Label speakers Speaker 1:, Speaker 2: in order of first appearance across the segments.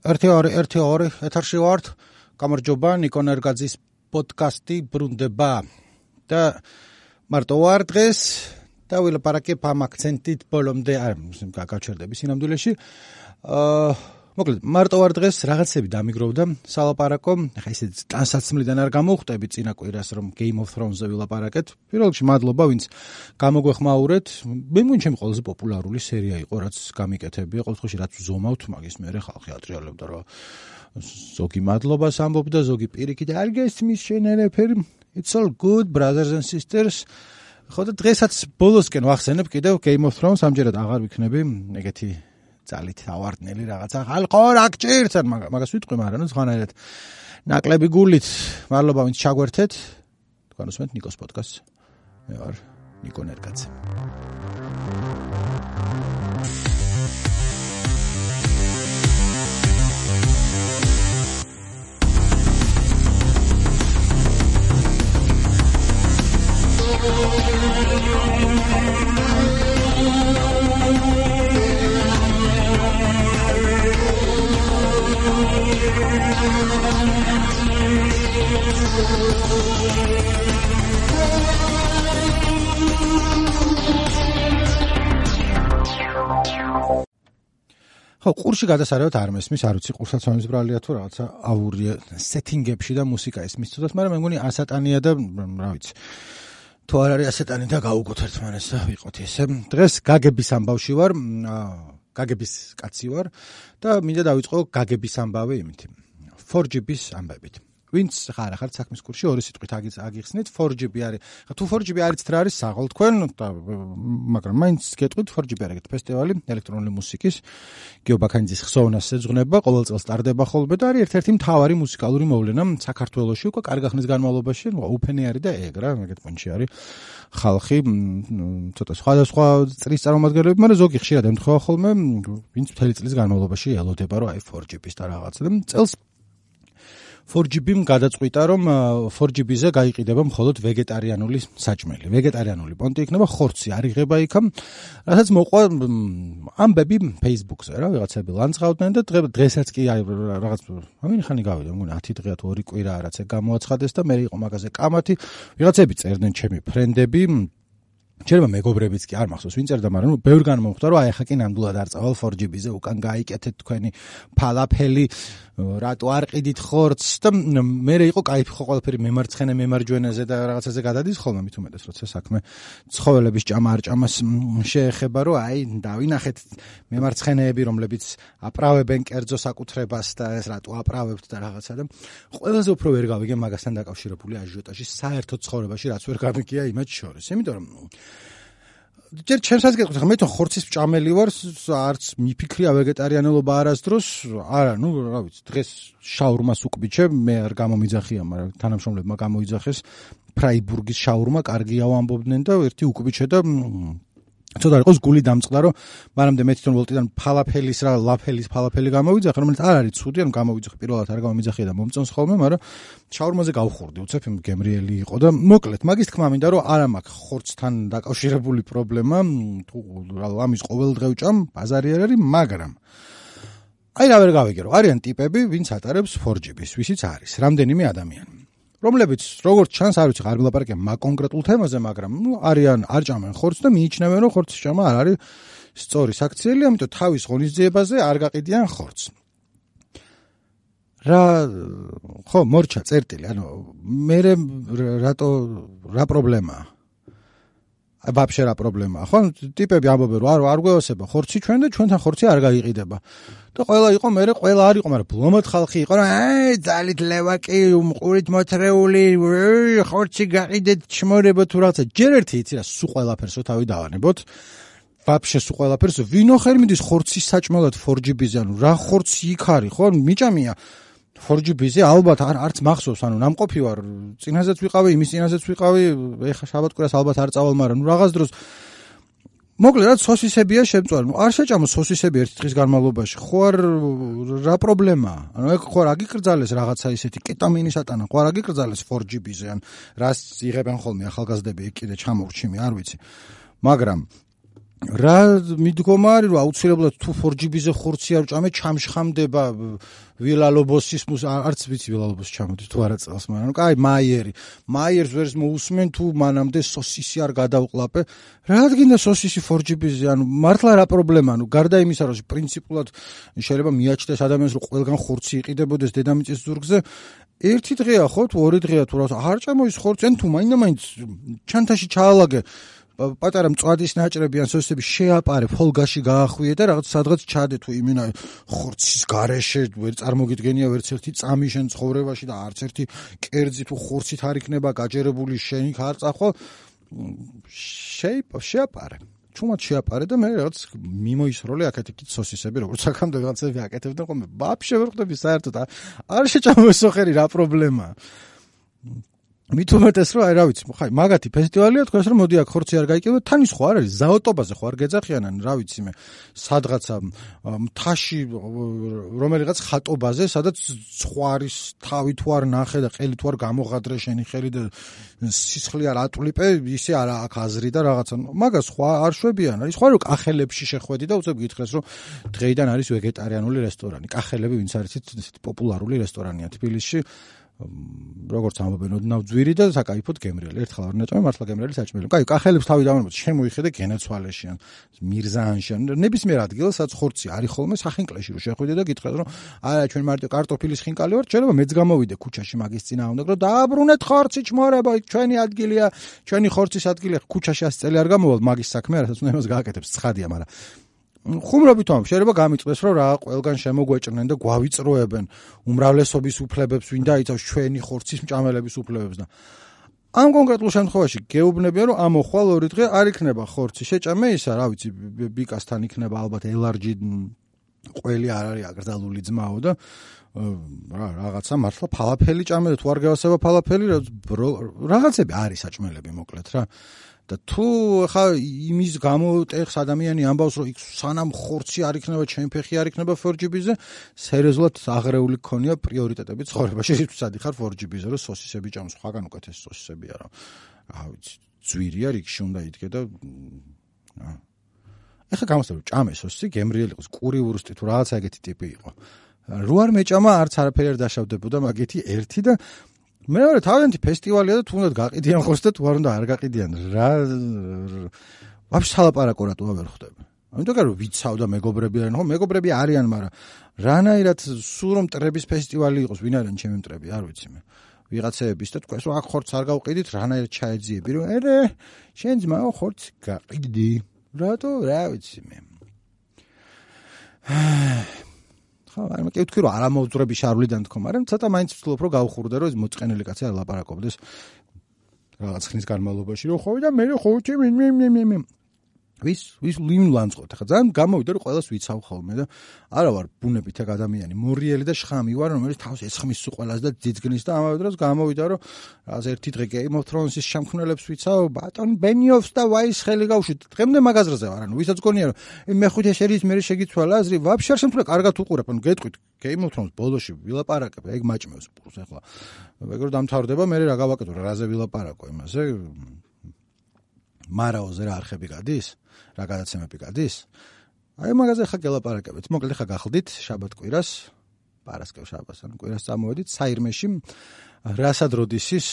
Speaker 1: 1-2 ეთერში ვართ. გამარჯობა, ნიკო ნერგაძის პოდკასტი ბრუნდება. და მარტო ვარ დღეს და ვილაპარაკებ ამ აქცენტით ბოლომდე არ გაგაჩერდები სინამდვილეში. მოკლედ, მარტო ვარ დღეს რაღაცები დამიგროვდა სალაპარაკო. ახლა ისე ტანსაცმლიდან არ გამოვხტები წინა კვირას რომ Game of Thrones-ზე ვილაპარაკეთ. პირველ რიგში მადლობა, ვინც გამოგვეხმაურეთ. მე მგონი ჩემი ყველაზე პოპულარული სერია იყო, რაც გამიკეთებია. ყოველ შემთხვევაში რაც ვზომავთ, მაგის მერე ხალხი ატრიალებდა, რომ ზოგი მადლობას ამბობდა, ზოგი პირიქით არ გესმის შენერაფერი. It's all good, brothers and sisters. ხო და დღესაც ბოლოსკენ ვახსენებ კიდევ Game of Thrones, ამჯერად აღარ ვიქნები ეგეთი ძალით ავარდნელი რაღაცა. ხალხო რა გჭირთ, მაგას ვიტყვი, მაგრამ სხვანაირად ნაკლები გულით. მადლობა ვინც ჩაგვერთეთ. თქვენ უსმენთ ნიკოს პოდკასტს. მე ვარ ნიკო ნერგაძე. ხო, ყურში გადასარევად არ მესმის, არ ვიცი, ყურსაც მომისბრალია თუ რაღაცა ავურია სეტინგებში და მუსიკა ისმის თუდად, მაგრამ მე მგონი ასატანია და რა ვიცი. თუ არ არის ასეტანი და გავუგოთ ერთმანეთს და ვიყოთ ესე. დღეს გაგების ამბავში ვარ, გაგების კაცი ვარ და მინდა დავიწყო გაგების ამბავი იმით. 4GB-ის ამბებით. ვინც ხარ ახალ საქმის კურსში ორი სიტყვით აგიხსნით 4GB არის. თუ 4GB არიცთ რა არის საღოლ თქვენ და მაგრამ მაინც გეტყვით 4GB არის ფესტივალი ელექტრონული მუსიკის გიობაქანიძის ხსოვნას ეძღვნება, ყოველ წელს ტარდება ხოლმე და არის ერთ-ერთი მთავარი მუსიკალური მოვლენა საქართველოში უკვე კარგი ხნის განმავლობაში, ოფენი არის და ეგრა, ეგეთ პონჩი არის. ხალხი ცოტა სხვადასხვა წრის წარმომადგენლები, მაგრამ ზოგი ხშირად ემთხვევა ხოლმე, ვინც მთელი წლის განმავლობაში ელოდება, რომ აი 4GB-ის და რაღაცა და წელს 4GB-მ გადაწყვიტა, რომ 4GB-ზე გაიყიდება მხოლოდ ვეგეტარიანული საჭმელი. ვეგეტარიანული პონტი იქნება, ხორცი არ იღება იქამ. რასაც მოყვა ამბები Facebook-ზე, რა, ვიღაცები ლანძღავდნენ და დღესაც კი რაღაც ამინ ხანი გავიდა, მგონი 10 დღეა თუ 2 კვირა რაც გამოაცხადეს და მე იყო მაგაზე კამათი. ვიღაცები წერდნენ ჩემი ფრენდები, ჯერმა მეგობრებიც კი არ მახსოვს ვინ წერდა, მაგრამ ბევრგან მომხვდა, რომ აი ახლა კი ნამდვილად არ წავალ 4GB-ზე, უკან გაიკეთეთ თქვენი ფალაფელი, რატო არ ყიდით ხორცს და მე იყო кайფი ხო ყველაფერი მემარცხენე მემარჯვენეზე და რაღაცაზე გადადის ხოლმე მით უმეტეს როცა საქმე ცხოველების ჭამა არ ჭამას შეეხება, რომ აი დავინახეთ მემარცხენეები, რომლებიც აპრავებენ კერძო საკუთრებას და ეს რატო აპრავებთ და რაღაცა და ყველაზე უფრო ვერ გავიგე მაგასთან დაკავშირებული აჟიოტაჟი საერთო ცხოვრებაში რაც ვერ გამიგია იმათ შორის, იმიტომ რომ ჯერ ჩემსაც გეტყვით, მე თვითონ ხორცის მჭამელი ვარ, არც მიფიქრია ვეგეტარიანელობა არასდროს, არა, ნუ რა ვიცი, დღეს შაურმას უკბიჩე, მე არ გამომიძახია, მაგრამ თანამშრომლებმა გამოიძახეს ფრაიბურგის შაურმა, კარგია ვამბობდნენ და ერთი უკბიჩე და ცოტა იყოს გული დამწყდა, რომ მანამდე მე თვითონ ვოლტიდან ფალაფელის რა ლაფელის ფალაფელი გამოვიძახე, რომელიც არ არის ცუდი, ანუ გამოვიძახე პირველად არ გამომიძახია და მომწონს ხოლმე, მაგრამ შაურმაზე გავხურდი, უცებ იმ გემრიელი იყო და მოკლედ მაგის თქმა მინდა, რომ არ მაქვს ხორცთან დაკავშირებული პრობლემა, თუ ამის ყოველდღე ვჭამ, ბაზარი არ არის, მაგრამ აი რა ვერ გავიგე, რომ არიან ტიპები, ვინც ატარებს 4GB-ს, ვისიც არის რამდენიმე ადამიანი. რომლებიც როგორც ჩანს არ ვიცი, არ ვილაპარაკებ მაგ კონკრეტულ თემაზე, მაგრამ არიან არ ჭამენ ხორცს და მიიჩნევენ, რომ ხორცის ჭამა არ არის სწორი საქციელი, ამიტომ თავის ღონისძიებაზე არ გაყიდიან ხორცს. ხო, მორჩა წერტილი, ანუ მე რა პრობლემაა? ვაფშე რა პრობლემაა, ხო? ტიპები ამბობენ, რომ არ გვეოსება ხორცი ჩვენ და ჩვენთან ხორცი არ გაიყიდება. და ყველა იყო, მე ყველა არ იყო, მაგრამ ბლომად ხალხი იყო, რომ ძალით ლევაკი, ყურით მოთრეული, ხორცი გაყიდეთ, ჩმორებო თუ რაღაცა. ჯერ ერთი იცი რა, სულ ყველაფერსო თავი დავანებოთ. ვაფშე სულ ყველაფერს, ვინო ხელი მიდის ხორცის საჭმელად 4GB-ზე, ანუ რა ხორცი იქ არის, ხო? მიჭამია 4GB-ზე ალბათ არც მახსოვს, ანუ ნამყოფი ვარ, წინაზეც ვიყავი, იმის წინაზეც ვიყავი, ეხა შაბათ-კვირას ალბათ არ წავალ, მაგრამ რაღაც დროს მოკლედ სოსისებია შემწვარი. არ შეჭამო სოსისები ერთი დღის განმავლობაში. ხო არ რა პრობლემაა? ანუ ეგ ხო არ აგიკრძალეს რაღაცა ისეთი კეტამინის ატანა, ხო არ აგიკრძალეს 4GB-ზე, ან რას იღებენ ხოლმე ახალგაზრდები, ეგ კიდე ჩამოვრჩიმი, არ ვიცი. მაგრამ რა მიდგომა არის რომ აუცილებლად თუ 4GB-ზე ხორცი არ ჭამე ჩამშხამდება ვილალობოსის არც ვიცი ვილალობოსი ჩამოდის თუ არა წელს მაგრამ კაი მაიერს ვერს მოусმენ თუ მანამდე სოსისი არ გადავყლაპე რა გინდა სოსისი 4GB-ზე ანუ მართლა რა პრობლემა ანუ გარდა იმისა რომ პრინციპულად შეიძლება მიაჩნდეს ადამიანს რომ ყველგან ხორცი იყიდებოდეს დედამიწის ზურგზე ერთი დღეა ხო თუ ორი დღეა თუ რა არ ჭამო ის ხორცი ან თუ მაინდა-მაინც ჩანთაში ჩაალაგე პატარა მწვადის ნაჭრები ან სოსისები შეაპარე ფოლგაში გაახვიე და რაღაც სადღაც ჩადე თუ იმენა ხორცის გარეშე ვერ წარმოგიდგენია ვერც ერთი წამი შენ ცხოვრებაში და არც ერთი კერძი თუ ხორცით არ იქნება გაჯერებული შენ იქ არ წახვალ შეაპარე ჩუმად შეაპარე და მე რაღაც მიმოისროლე აქეთ-იქით სოსისები როგორც აქამდე რაღაცები აკეთებდნენ ხოლმე ვაფშე ვერ ხვდები საერთოდ არ შეჭამო სოხერი რა პრობლემაა მით უმეტეს რომ აი რა ვიცი ხაი მაგათი ფესტივალია თქვენს რომ მოდი აქ ხორცი არ გაიკეთო თან ის ხო არ არის ზაოტობაზე ხო არ გეძახიანან რა ვიცი მე სადღაცა მთაში რომელიღაც ხატობაზე სადაც ხვარის თავი თუ არ ნახე და ყელი თუ არ გამოღადრე შენი ხელი და სისხლი არ ატვლიპე ისე არა აქ აზრი და რაღაცა მაგას ხო არ შვებიან არის ხო რომ კახელებში შეხვედი და უცებ გითხრეს რომ დღეიდან არის ვეგეტარიანული რესტორანი კახელები ვინც არის ისეთი პოპულარული რესტორანია თბილისში როგორც ამბობენ ოდნავ ძვირი და საკაიფოდ გემრიელი ერთხელ არ ნაჭამე მართლა გემრიელი საჭმელი. კაი, კახელებს თავი დავამბობ, შემოიხედე გენაცვალეში ან მირზაანში ან ნებისმიერ ადგილას სადაც ხორცი არის ხოლმე სახინკლეში რომ შეხვიდე და გითხრათ რომ არა ჩვენ მარტო კარტოფილის ხინკალი ვართ, შეიძლება მეც გამოვიდე ქუჩაში მაგის წინა უნდა რომ დააბრუნეთ ხორცი ჩმორება, ჩვენი ადგილია, ჩვენი ხორცის ადგილია, ქუჩაში 100 წელი არ გამოვალ მაგის საქმე, რასაც უნდა იმას გააკეთებს, ცხადია, მაგრამ ხუმრობით ამ შეიძლება გამიწვეს რომ რა ყველგან შემოგვეჭრნენ და გვავიწროებენ უმრავლესობის უფლებებს ვინ დაიცავს ჩვენი ხორცის მჭამელების უფლებებს და ამ კონკრეტულ შემთხვევაში გეუბნებიან რომ ამოხვალ ორი დღე არ იქნება ხორცი შეჭამე ისა რა ვიცი ბიკასთან იქნება ალბათ ელარჯი ყველი არ არის აკრძალული ძმაო და რაღაცა მართლა ფალაფელი ჭამე თუ არ გავასება ფალაფელი რაღაცები არის საჭმელები მოკლედ რა და თუ ხა იმის გამო ტეხს ადამიანი ამბავს რომ იქ სანამ ხორცი არ იქნება ჩემ ფეხი არ იქნება 4GB-ზე სერიოზულად აღრეული გქონია პრიორიტეტები ცხოვრებაში რითვისაც ხარ 4GB-ზე რომ სოსისები ჭამს სხვაგან უკეთეს სოსისებია რა ვიცი ძვირია რიგში უნდა იდგე და ეხლა გამოსწორე ჭამე სოსისი გემრიელი იყოს კური ურუსტი თუ რაღაცა ეგეთი ტიპი იყო რო არ მეჭამა არც არაფერი არ დაშავდებოდა მაგეთი ერთი და მეორე თავიანთი ფესტივალია და თუნდაც გაყიდიან ხორცს და თუ არ უნდა არ გაყიდიან რა ვაფშე სალაპარაკო რატო ვერ ხვდები ამიტომ რომ ვიცავ და მეგობრები არიან ხო მეგობრები არიან მაგრამ რანაირად სულ რომ მტრების ფესტივალი იყოს ვინ არიან ჩემი მტრები არ ვიცი მე ვიღაცეების და თქვენს რომ აქ ხორცს არ გავყიდით რანაირად ჩაეძიები რომ ერე შენ ძმაო ხორცს გაყიდი რატო რა ვიცი მე მაგრამ კი ვთქვი რომ არ ამოვძვრები შარვლიდან თქო, მაგრამ ცოტა მაინც ვცდილობ რომ გავხურდე რომ ეს მოწყენილი კაცი არ ლაპარაკობდეს რაღაც ხნის განმავლობაში რომ ხო და მე ხო მე ვის ლიმლანწყოთ ხა ძალიან გამოვიდა რომ ყველას ვიცავ ხოლმე და არა ვარ ბუნებით ეგ ადამიანი მორიელი და შხამი ვარ რომელიც თავს ეცხმის ყველას და ძიძგნის და ამავე დროს გამოვიდა რომ რაღაც ერთი დღე Game of Thrones-ის შემქმნელებს ვიცავ ბატონ ბენიოფს და ვაის ხელი გავშვით დღემდე მაგაზრზე ვარ ანუ ვისაც გონია რომ მეხუთე სერიის მე შეგიცვალა აზრი ვაფშე არ შემთხვევა კარგად უყურებ ანუ გეტყვით Game of Thrones ბოლოში ვილაპარაკებ ეგ მაჭმევს პურს ახლა ეგ რომ დამთავრდება მე რა გავაკეთო რაზე ვილაპარაკო იმაზე მარაოზე რა არხები გადის რა გადაცემები გადის აი მაგაზე ხა გელაპარაკებთ მოკლედ ხა გახდით შაბათ კვირას პარასკევ შაბათს ან კვირას წამოვედით საირმეში რასად როდისის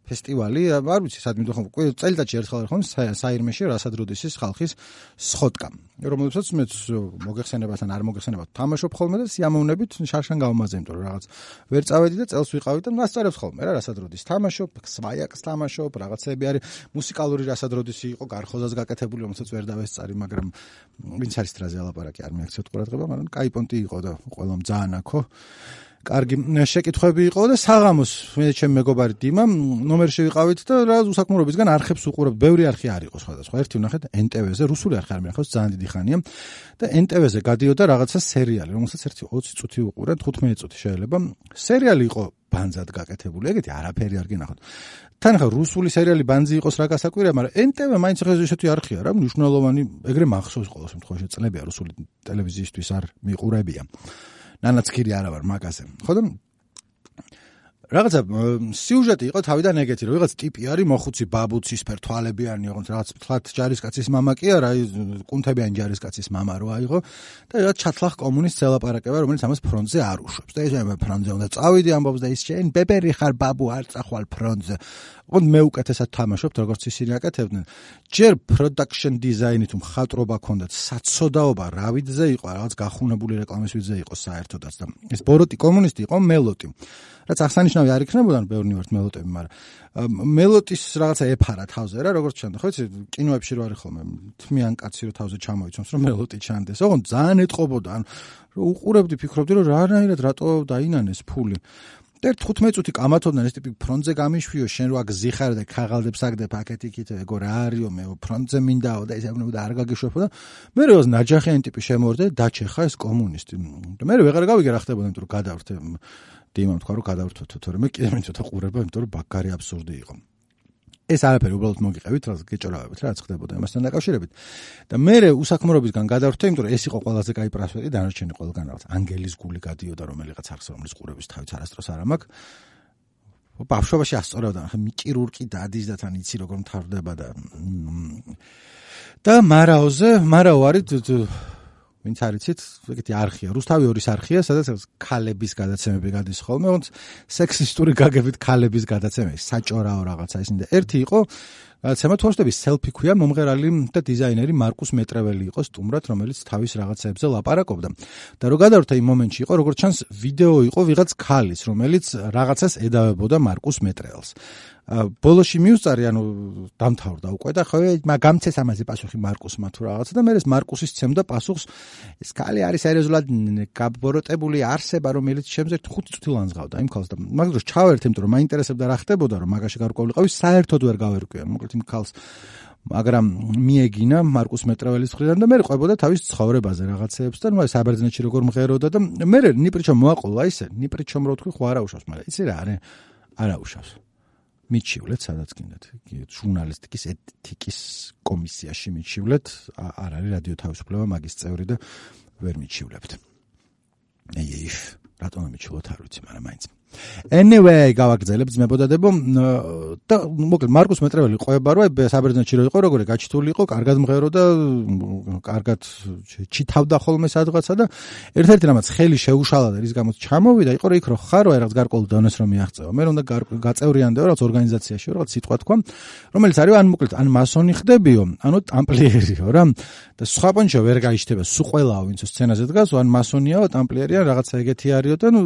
Speaker 1: ფესტივალი არ ვიცი სად მიდიხომ წელიწადში ერთხელ ხომ საირმეში რასად როდისის ხალხის სხოტკა რომელსაც მეც მოგეხსენებათ ან არ მოგეხსენებათ თამაშობ ხოლმე და სიამოვნებით შარშან გავმაზე იმიტომ რომ რაღაც ვერ წავედი და წელს ვიყავი და მასწავლებს ხოლმე რა რასად როდის თამაშობ სვაიაკს თამაშობ რაღაცები არის მუსიკალური რასად როდისი იყო გარხოზას გაკეთებული რომელსაც ვერ დავესწარი მაგრამ ვინც არის ტრაზე ალაპარაკი არ მიაქცევთ ყურადღება მაგრამ კაი პონტი იყო და ყველამ ძალიან აქო კარგი შეკითხვები იყო და საღამოს მე ჩემ მეგობარი დიმა ნომერში ვიყავით და რა უსაქმურობისგან არხებს უყურებ ბევრი არხი არ იყო სხვადასხვა ერთი ვნახეთ NTV-ზე რუსული არხი არ მინახავს ძალიან დიდი ხანია და NTV-ზე გადიოდა რაღაცა სერიალი რომელსაც ერთი 20 წუთი უყურე 15 წუთი შეიძლება სერიალი იყო ბანძად გაკეთებული ეგეთი არაფერი არ გინახოთ თან ხა რუსული სერიალი ბანძი იყოს რა გასაკვირია მაგრამ NTV მაინც ხა ესეთი არხია რა მნიშვნელოვანი ეგრე მახსოვს ყოველ შემთხვევაში წლებია რუსული ტელევიზიისთვის არ მიყურებია ნანაცქირი არა ვარ მაგაზე. ხო და რაღაცა სიუჟეტი იყო თავიდან ეგეთი, რომ რაღაც ტიპი არის მოხუცი ბაბუცი სფერ თვალებიანი, ოღონდ რაღაც ფლათ ჯარისკაცის მამა კი არა, კუნთებიანი ჯარისკაცის მამა რო აიღო და რაღაც ჩათლახ კომუნისტს ელაპარაკება, რომელიც ამას ფრონტზე არ უშვებს. და ეს ფრონტზე უნდა წავიდი ამბობს და ის შენ ბებერი ხარ ბაბუ არ წახვალ ფრონტზე. ოღონდ მე უკეთესად თამაშობთ, როგორც ისინი აკეთებდნენ. ჯერ production design-ით მხატვრობა ქონდათ, საცოდაობა რავიდზე იყო, რაღაც გახუნებული რეკლამის ვიდზე იყო საერთოდაც და ეს ბოროტი კომუნისტი იყო მელოტი. რაც აღსანიშნავი არ იქნებოდა, ბევრი ვართ მელოტები, მაგრამ მელოტის რაღაცა ეფარა თავზე რა, როგორც ჩანდა, ხო იცი, კინოებში რო არის ხოლმე თმიან კაცი რო თავზე ჩამოიცვამს, რომ მელოტი ჩანდეს. ოღონდ ძალიან ეტყობოდა, ანუ რო უყურებდი, ფიქრობდი, რომ რანაირად რატო დაინანეს ფული. და 15 წუთი კამათობდნენ ეს ტიპი ფრონტზე გამიშვიო, შენ რო აგზიხარ და ქაღალდებს აგდებ აქეთ-იქით, ეგო რა არისო, მე ფრონტზე მინდაო და ეს ეუბნება და არ გაგიშვებო და მე როს ნაჯახიანი ტიპი შემოვარდა და დაჩეხა ეს კომუნისტი. და მე ვეღარ გავიგე რა ხდებოდა, იმიტომ რომ გადავრთე დიმამ თქვა რომ გადავრთოთ, თორემე კიდე მე ცოტა ყურება, იმიტომ რომ ბაგარი აბსურდი იყო. ეს არაფერი უბრალოდ მოგიყევით, რაც გეჭორავებით, რაც ხდებოდა ამასთან დაკავშირებით. და მე უსაქმრობისგან გადავრთე, იმიტომ რომ ეს იყო ყველაზე კაი პრასვეტი, დანარჩენი ყველგან რაღაც ანგელის გული გადიოდა რომელიღაც არხს, რომლის ყურების თავიც არასდროს არ ამაქვს. ბავშვობაში ასწორავდა, ხა მიჭირურკი დადის და თან იცი როგორ მთავრდება და მარაო არის ვინც არიცით, ეგეთი არხია, რუსთავი 2-ის არხია, სადაც ქალების გადაცემები გადის ხოლმე, ოღონდ სექსისტური გაგებით ქალების გადაცემები, საჭორაო რაღაცა ისინი და ერთი იყო, გადაცემა თვალშების სელფი ქვია, მომღერალი და დიზაინერი მარკუს მეტრეველი იყო სტუმრად, რომელიც თავის რაღაცებზე ლაპარაკობდა. და რო გადავრთე იმ მომენტში იყო, როგორც ჩანს, ვიდეო იყო ვიღაც ქალის, რომელიც რაღაცას ედავებოდა მარკუს მეტრეველს. ბოლოში მიუსწარი, ანუ დამთავრდა უკვე და ხო გამცეს ამაზე პასუხი მარკუსმა თუ რაღაცა და მე ეს მარკუსის ცემდა პასუხს ეს ქალი არის სერიოზულად გაბოროტებული არსება, რომელიც შემძერ 5 წუთი ლანძღავდა იმ ქალს და მაგ დროს ჩავერთე, იმიტომ რომ მაინტერესებდა რა ხდებოდა, რომ მაგაში გარკვეულიყავი, საერთოდ ვერ გავერკვია, მოკლედ იმ ქალს მაგრამ მიეგინა მარკუს მეტრეველის მხრიდან და მე ყვებოდა თავის ცხოვრებაზე რაღაცეებს და ნუ საბერძნეთში როგორ მღეროდა და მე ნიპრიჩომ მოაყოლა ისე, ნიპრიჩომ რო თქვი ხო არა უშავს, მაგრამ იცი რა არის? არა უშავს. მიჩივლეთ სადაც გინდათ ჟურნალისტიკის ეთიკის კომისიაში მიჩივლეთ არ არის რადიო თავისუფლება მაგის წევრი და ვერ მიჩივლებთ რატომ მიჩივლოთ არ ვიცი მაგრამ მაინც anyway გავაგრძელებ ძმებოდადებო და მოკლედ მარკუს მეტრეველი ყვება რომ საბერძნეთში რო იყო როგორი გაჩითული იყო კარგად მღერო და კარგად ჩითავდა ხოლმე სადღაცა და ერთ-ერთი რამაც ხელი შეუშალა და რის გამოც ჩამოვიდა იყო რომ იქ რო ხარო აი რაღაც გარკვეულ დონეს რომ მიაღწევა მე უნდა გაწევრიანდეო რაღაც ორგანიზაციაში რაღაც სიტყვა თქვა რომელიც არის ან მოკლედ ან მასონი ხდებიო ანუ ტამპლიერიო რა და სხვა პონჩო ვერ გაიშთება სულ ყველაო ვინც სცენაზე დგას ან მასონიაო ტამპლიერია რაღაცა ეგეთი არისო და ნუ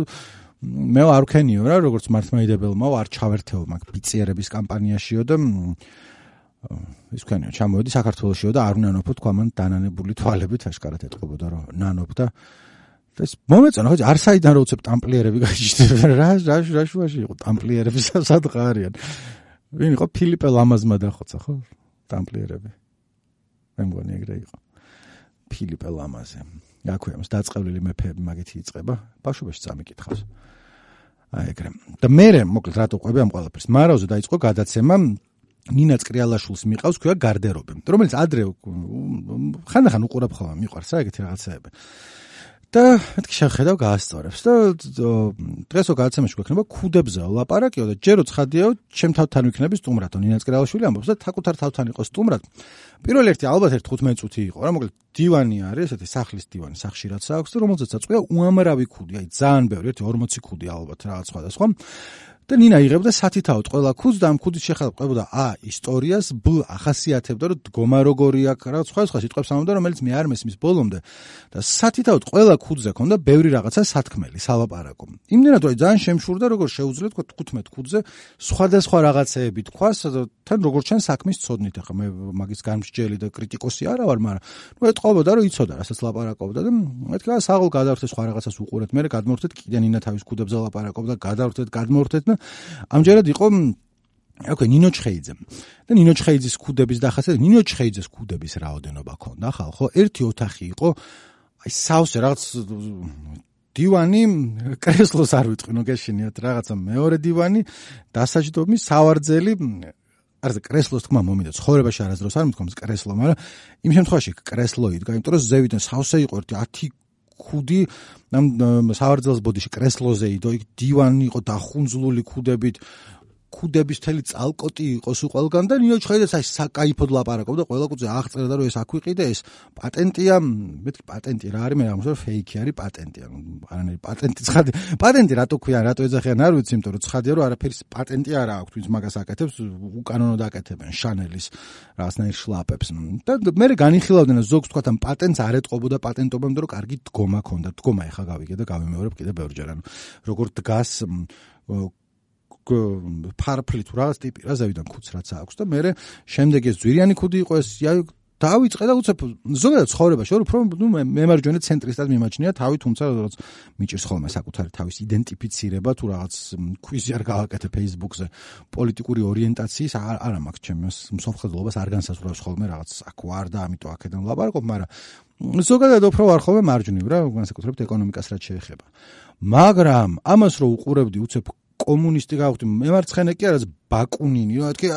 Speaker 1: მე არ ვქენიო რა როგორც მართლმადიდებელმა არ ჩავერთეო მაგ ბიციერების კამპანიაშიო და ის ვქენიო ჩამოვედი საქართველოსშიო და არ უნანოფო თქვა მან დანანებული თვალებით აშკარად ეტყობოდა რომ ნანობ და ეს მომეწონა ხო არ საიდან რო უცებ ტამპლიერები გაიჭდება რა შუაში იყო ტამპლიერები სადღა არიან ვინ იყო ფილიპე ლამაზმა დახოცა ხო ტამპლიერები მე მგონი ეგრე იყო ფილიპე ლამაზე აქვეამს დაწყევლილი მეფეები მაგეთი იწყება ბავშვობაში წამიკითხავს აი ეგრე და მე მოკლედ რატო ყვები ამ ყველაფერს მარაოზე დაიწყო გადაცემა ნინა წკრიალაშვილს მიყავს ქვია გარდერობი რომელიც ადრე ხანდახან უყურებ ხოლმე მიყვარს რა ეგეთი რაღაცეები და მეთქი შეხედავ გაასწორებს და დღესო გადაცემაში გვექნება ქუდებზე ლაპარაკიო და ჯერო ცხადიაო ჩემ თავთან ვიქნები სტუმრად ნინა წკრიაშვილი ამბობს და საკუთარ თავთან იყო სტუმრად პირველ ერთი ალბათ 15 წუთი იყო რა მოკლედ დივანი არის ესეთი სახლის დივანი სახში რაც აქვს და რომელზეც აწყვია უამრავი ქუდი აი ძალიან ბევრი 40 ქუდი ალბათ რაღაც სხვადასხვა და ნინა იღებდა სათითაოდ ყველა ქუდს და ამ ქუდის შეხედა ყვებოდა ისტორიას ბ ახასიათებდა რომ დგომა როგორი აქვს რა სხვა სიტყვებს ამბობდა რომელიც მე არ მესმის ბოლომდე და სათითაოდ ყველა ქუდზე ქონდა ბევრი რაღაცა სათქმელი სალაპარაკო იმდენად რომ ძალიან შემშურდა როგორ შეუძლია თქვა 15 ქუდზე სხვადასხვა რაღაცეები თქვას თან როგორ ჩან საქმის ცოდნით ახლა მე მაგის გამსჯელი და კრიტიკოსი არა ვარ მაგრამ ნუ ეტყობოდა რომ იცოდა რასაც ლაპარაკობდა და მეთქი საღოლ გადავერთე სხვა რაღაცას უყურეთ მე გადმოვერთეთ კიდე ნინა თავის ქუდებზე ლაპარაკობდა გადავერთეთ და ამჯერად იყო ოკეი ნინო ჩხეიძე და ნინო ჩხეიძის ქუდების დახასიათება ნინო ჩხეიძეს ქუდების რაოდენობა ქონდა ხო ერთი ოთახი იყო აი სავსე რაღაც დივანი კრესლოს არ ვიტყვინო გეშინიათ რაღაცა მეორე დივანი დასაჯდომი სავარძელი არზე კრესლოს თქმა მომიდა ცხოვრებაში არასდროს არ მithkoms კრესლო მაგრამ იმ შემთხვევაში კრესლო იდგა იმიტომ რომ ზევიდან სავსე იყო ერთი 10 ქუდი ამ სავარძელს ბოდიში კრესლოზე იდო, იქ დივანი იყო დახუნძლული ქუდებით, ქუდების თელი წალკოტი იყო სულ ყველგან და ნინო ჩხეიძეც აი საკაიფოდ ლაპარაკობდა, ყველა კუძე აღწერდა რომ ეს აქ ვიყიდე, ეს პატენტია, მეთქი პატენტი რა არის, მე რა მოსწორ ფეიქი არის პატენტია, არანაირი პატენტი ცხადი, პატენტი რატო ქვია, რატო ეძახიან არ ვიცი, იმიტომ რომ ცხადია რომ არაფერი პატენტი არ აქვს, ვინც მაგას აკეთებს, უკანონოდ აკეთებენ შანელის რაღაცნაირ შლაპებს და მე განიხილავდნენ ზოგს თქვა ამ პატენტს არ ეტყობოდა პატენტობამდე რომ კარგი დგომა ქონდა, დგომა ეხა გავიგე და გავიმეორებ კიდე ბევრჯერ, ანუ როგორ დგას ფარფლი თუ რაღაც ტიპი რა ზევიდან ქუდს რაც აქვს და მე შემდეგ ეს ძვირიანი ქუდი იყო ეს დავიწყე და უცებ ზოგადად ცხოვრებაში რომ უფრო მემარჯვენე ცენტრისტად მიმაჩნია თავი, თუმცა როგორც მიჭირს ხოლმე საკუთარი თავის იდენტიფიცირება თუ რაღაც კვიზი არ გავაკეთე Facebook-ზე პოლიტიკური ორიენტაციის არა მაქვს ჩემს მსოფლმხედველობას არ განსაზღვრავს ხოლმე რაღაც აქ ვარ და ამიტომ აქედან ვლაპარაკობ, მაგრამ ზოგადად უფრო ვარ ხოლმე მარჯვნივ რა, განსაკუთრებით ეკონომიკას რაც შეეხება. მაგრამ ამას რო უყურებდი უცებ კომუნისტი გავხდი, მემარცხენე კი არა, ბაკუნინი, რა თქი,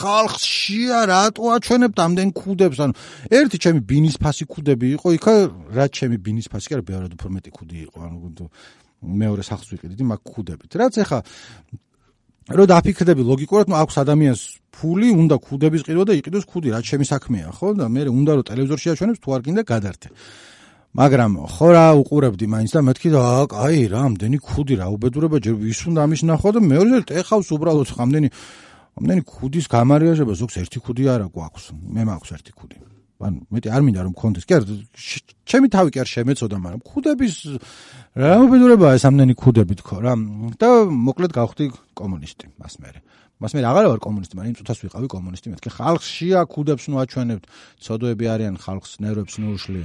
Speaker 1: ხალხს შია რატო აჩვენებთ ამდენ ქუდებს, ანუ ერთი ჩემი ბინისფასი ქუდები იყო, იქა რაც ჩემი ბინისფასი კი არა, ბევრად უფრო მეტი ქუდი იყო, ანუ მეორე სახლს ვიყიდით მაგ ქუდებით. რაც ეხა რო დაფიქრდები ლოგიკურად, ნუ აქვს ადამიანს ფული, უნდა ქუდების ყიდვა და იყიდოს ქუდი, რაც ჩემი საქმეა, ხო? და მე უნდა რომ ტელევიზორში აჩვენებს, თუ არ გინდა გადართე. მაგრამ ხო რა უყურებდი მაინც და მეთქი და აი რა ამდენი ქუდი რა უბედურება ჯერ ვის უნდა ამის ნახო და მეორე ეხავს უბრალოდ ამდენი ქუდის გამარიაჟება ზოგს ერთი ქუდი არა გვაქვს მე მაქვს ერთი ქუდი ანუ მეტი არ მინდა რომ მქონდეს კი არა ჩემი თავი კი არ შემეწოდა მაგრამ ქუდების რა უბედურებაა ეს ამდენი ქუდები თქო რა და მოკლედ გავხდი კომუნისტი მას მე აღარ ვარ კომუნისტი მაგრამ იმ წუთას ვიყავი კომუნისტი მეთქი ხალხშია ქუდებს ნუ აჩვენებთ ცოდოები არიან ხალხს ნერვებს ნუ უშლი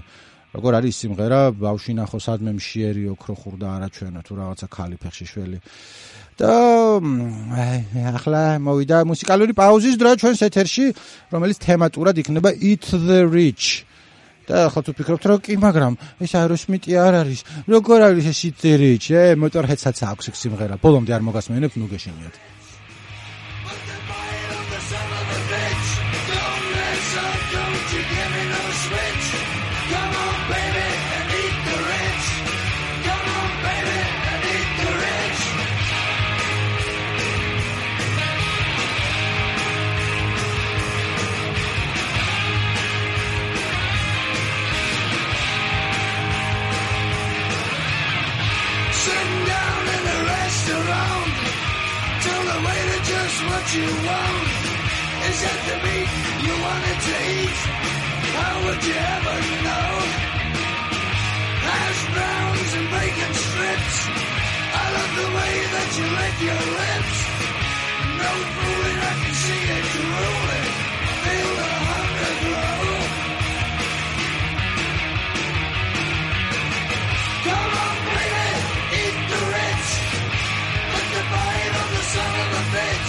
Speaker 1: როგორ არის სიმღერა ბავში ნახო სადმე მშიერი ოქრო ხურდა არაჩვენა თუ რაღაცა ქალი ფეხში შველი და ახლა მოვიდა მუსიკალური პაუზის დრო ჩვენს ეთერში რომელიც თემატურად იქნება Eat the Rich და ახლა თუ ფიქრობთ რომ კი მაგრამ ეს აეროსმიტი არ არის როგორ არის ეს Eat the Rich მოტორჰედსაც აქვს ეს სიმღერა ბოლომდე არ მოგასმენებთ ნუ გეშინიათ
Speaker 2: What you want is that the meat you wanted to eat. How would you ever know? Hash browns and bacon strips. I love the way that you lick your lips. No fooling, I can see it drooling. Feel the hunger grow. Come on, baby, eat the rich. Put the bite on the son of a bitch.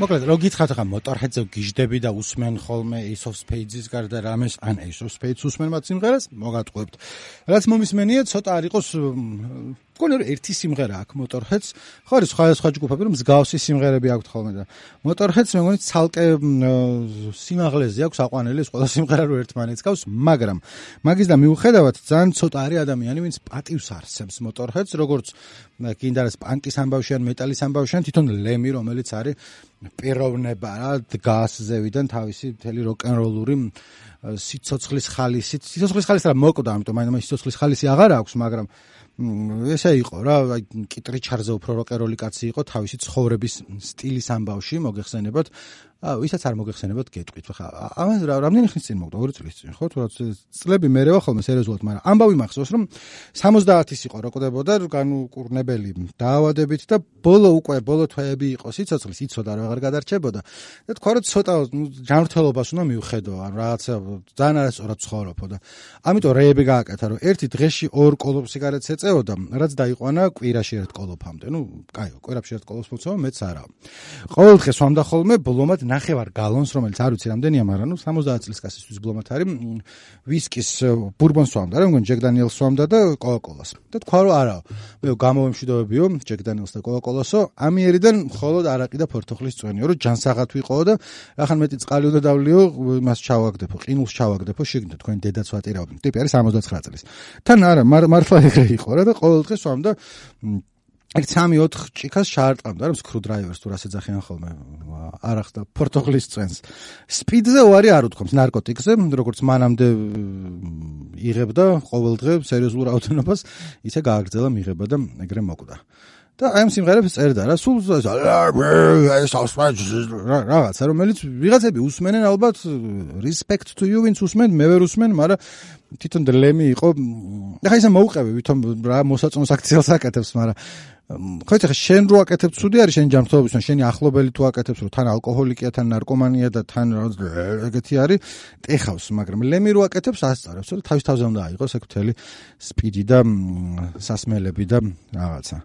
Speaker 1: მოკლედ რო გითხრათ ხა მოტორჰედზე გიждები და უსმენ ხოლმე Ace of Spades-ის გარდა რამეს ან Ace of Spades უსმენ მათ სიმღერას მოგატყუებთ რაც მომისმენია ცოტა არ იყოს მგონი ერთი სიმღერა აქვს მოტორჰედს ხო არის სხვა ჯგუფები რომ მსგავსი სიმღერები აქვთ ხოლმე და მოტორჰედს მე მგონი ცალკე სიმაღლეზე აქვს აყვანილი ეს ყველა სიმღერა რო ერთმანეთს გავს მაგრამ მაგის და მიუხედავად ძალიან ცოტა არის ადამიანი ვინც პატივს არსებს მოტორჰედს როგორც კიდე არის პანკის ამბავში ან მეტალის ამბავში ან თვითონ ლემი რომელიც არის პიროვნება რა დგას ზევიდან თავისი მთელი როკ-ენ-როლური სიცოცხლის ხალისი რა მოკვდა ამიტომ მაინც სიცოცხლის ხალისი აღარ აქვს მაგრამ ესე იყო რა აი კიტრიჩარზე უფრო როკეროლი კაცი იყო თავისი ცხოვრების სტილის ამბავში მოგეხსენებათ ვისაც არ მოგეხსენებათ გეტყვით ხა ამას რამდენი ხნის წინ მოკვდა 2 წლის წინ ხო თუ წლები მერევა ხოლმე სერიოზულად მაგრამ ამბავი მახსოვს რომ 70-ის იყო როკდებოდა განუკურნებელი დაავადებით და ბოლო თვეები იყო სიცოცხლის იცოდა რა აღარ გადარჩებოდა და თქვა რომ ცოტა ჯანმრთელობას უნდა მიუხედო ან რაღაცა ძალიან არასწორად ცხოვრობო და ამიტომ რეები გააკეთა რომ ერთი დღეში 2 კოლოფ სიგარეტს ეწე მიწეოდა, რაც დაიყვანა კვირაში ერთ კოლოფამდე. კაიო, კვირაში ერთ კოლოფს მოცემა, მეც არა. ყოველ დღე სვამდა ხოლმე ბლომად 9 გალონს, რომელიც არ ვიცი რამდენია, მაგრამ 70 წლის კაცისთვის ბლომად არის. ვისკის ბურბონს სვამდა, რა მგონი ჯეკ დანიელს სვამდა და კოკა-კოლას. და თქვა რომ არა, მე გამოვემშვიდობებიო ჯეკ დანიელს და კოკა-კოლასო, ამიერიდან მხოლოდ არაყი და ფორთოხლის წვენიო, რომ ჯანსაღად ვიყო და ახან მეტი წყალი უნდა დავლიო, მას ჩავაგდებო, ყინულს ჩავაგდებო, შეგნით თქვენ დედაც ვატირავდი. ტიპი არის 69 წლის. თან არა, მართლა ეგრე იყო რა და ყოველ დღე სვამდა ეგ 3-4 ჭიქას შაარტყამდა რა სკრუ დრაივერს თუ რას ეძახიან ხოლმე არახდა ფორთოხლის წვენს. სპიდზე უარი არ უთქვამს ნარკოტიკზე, როგორც მანამდე იღებდა ყოველ დღე სერიოზულ რაოდენობას, ისე გააგრძელა მიღება და ეგრე მოკვდა. და აი ამ სიმღერებს წერდა რა, სულ რაღაცა, რომელიც ვიღაცები უსმენენ ალბათ, respect to you, ვინც უსმენ, მე ვერ უსმენ, მაგრამ თვითონ ლემი იყო. ახლა ისე მოუყევი, ვითომ რა მოსაწონს აქციელს აკეთებს, მაგრამ ხო იცი, შენ რო აკეთებ ცუდი არის შენი ჯანმრთელობისთვის, შენი ახლობელი თუ აკეთებს, რომ თან ალკოჰოლიკია, თან ნარკომანია და თან ეგეთი არის, ტეხავს, მაგრამ ლემი რო აკეთებს, ასწარებს, რომ თავის თავზე უნდა აიღოს ეგ მთელი სპიდი და სასმელები და რაღაცა.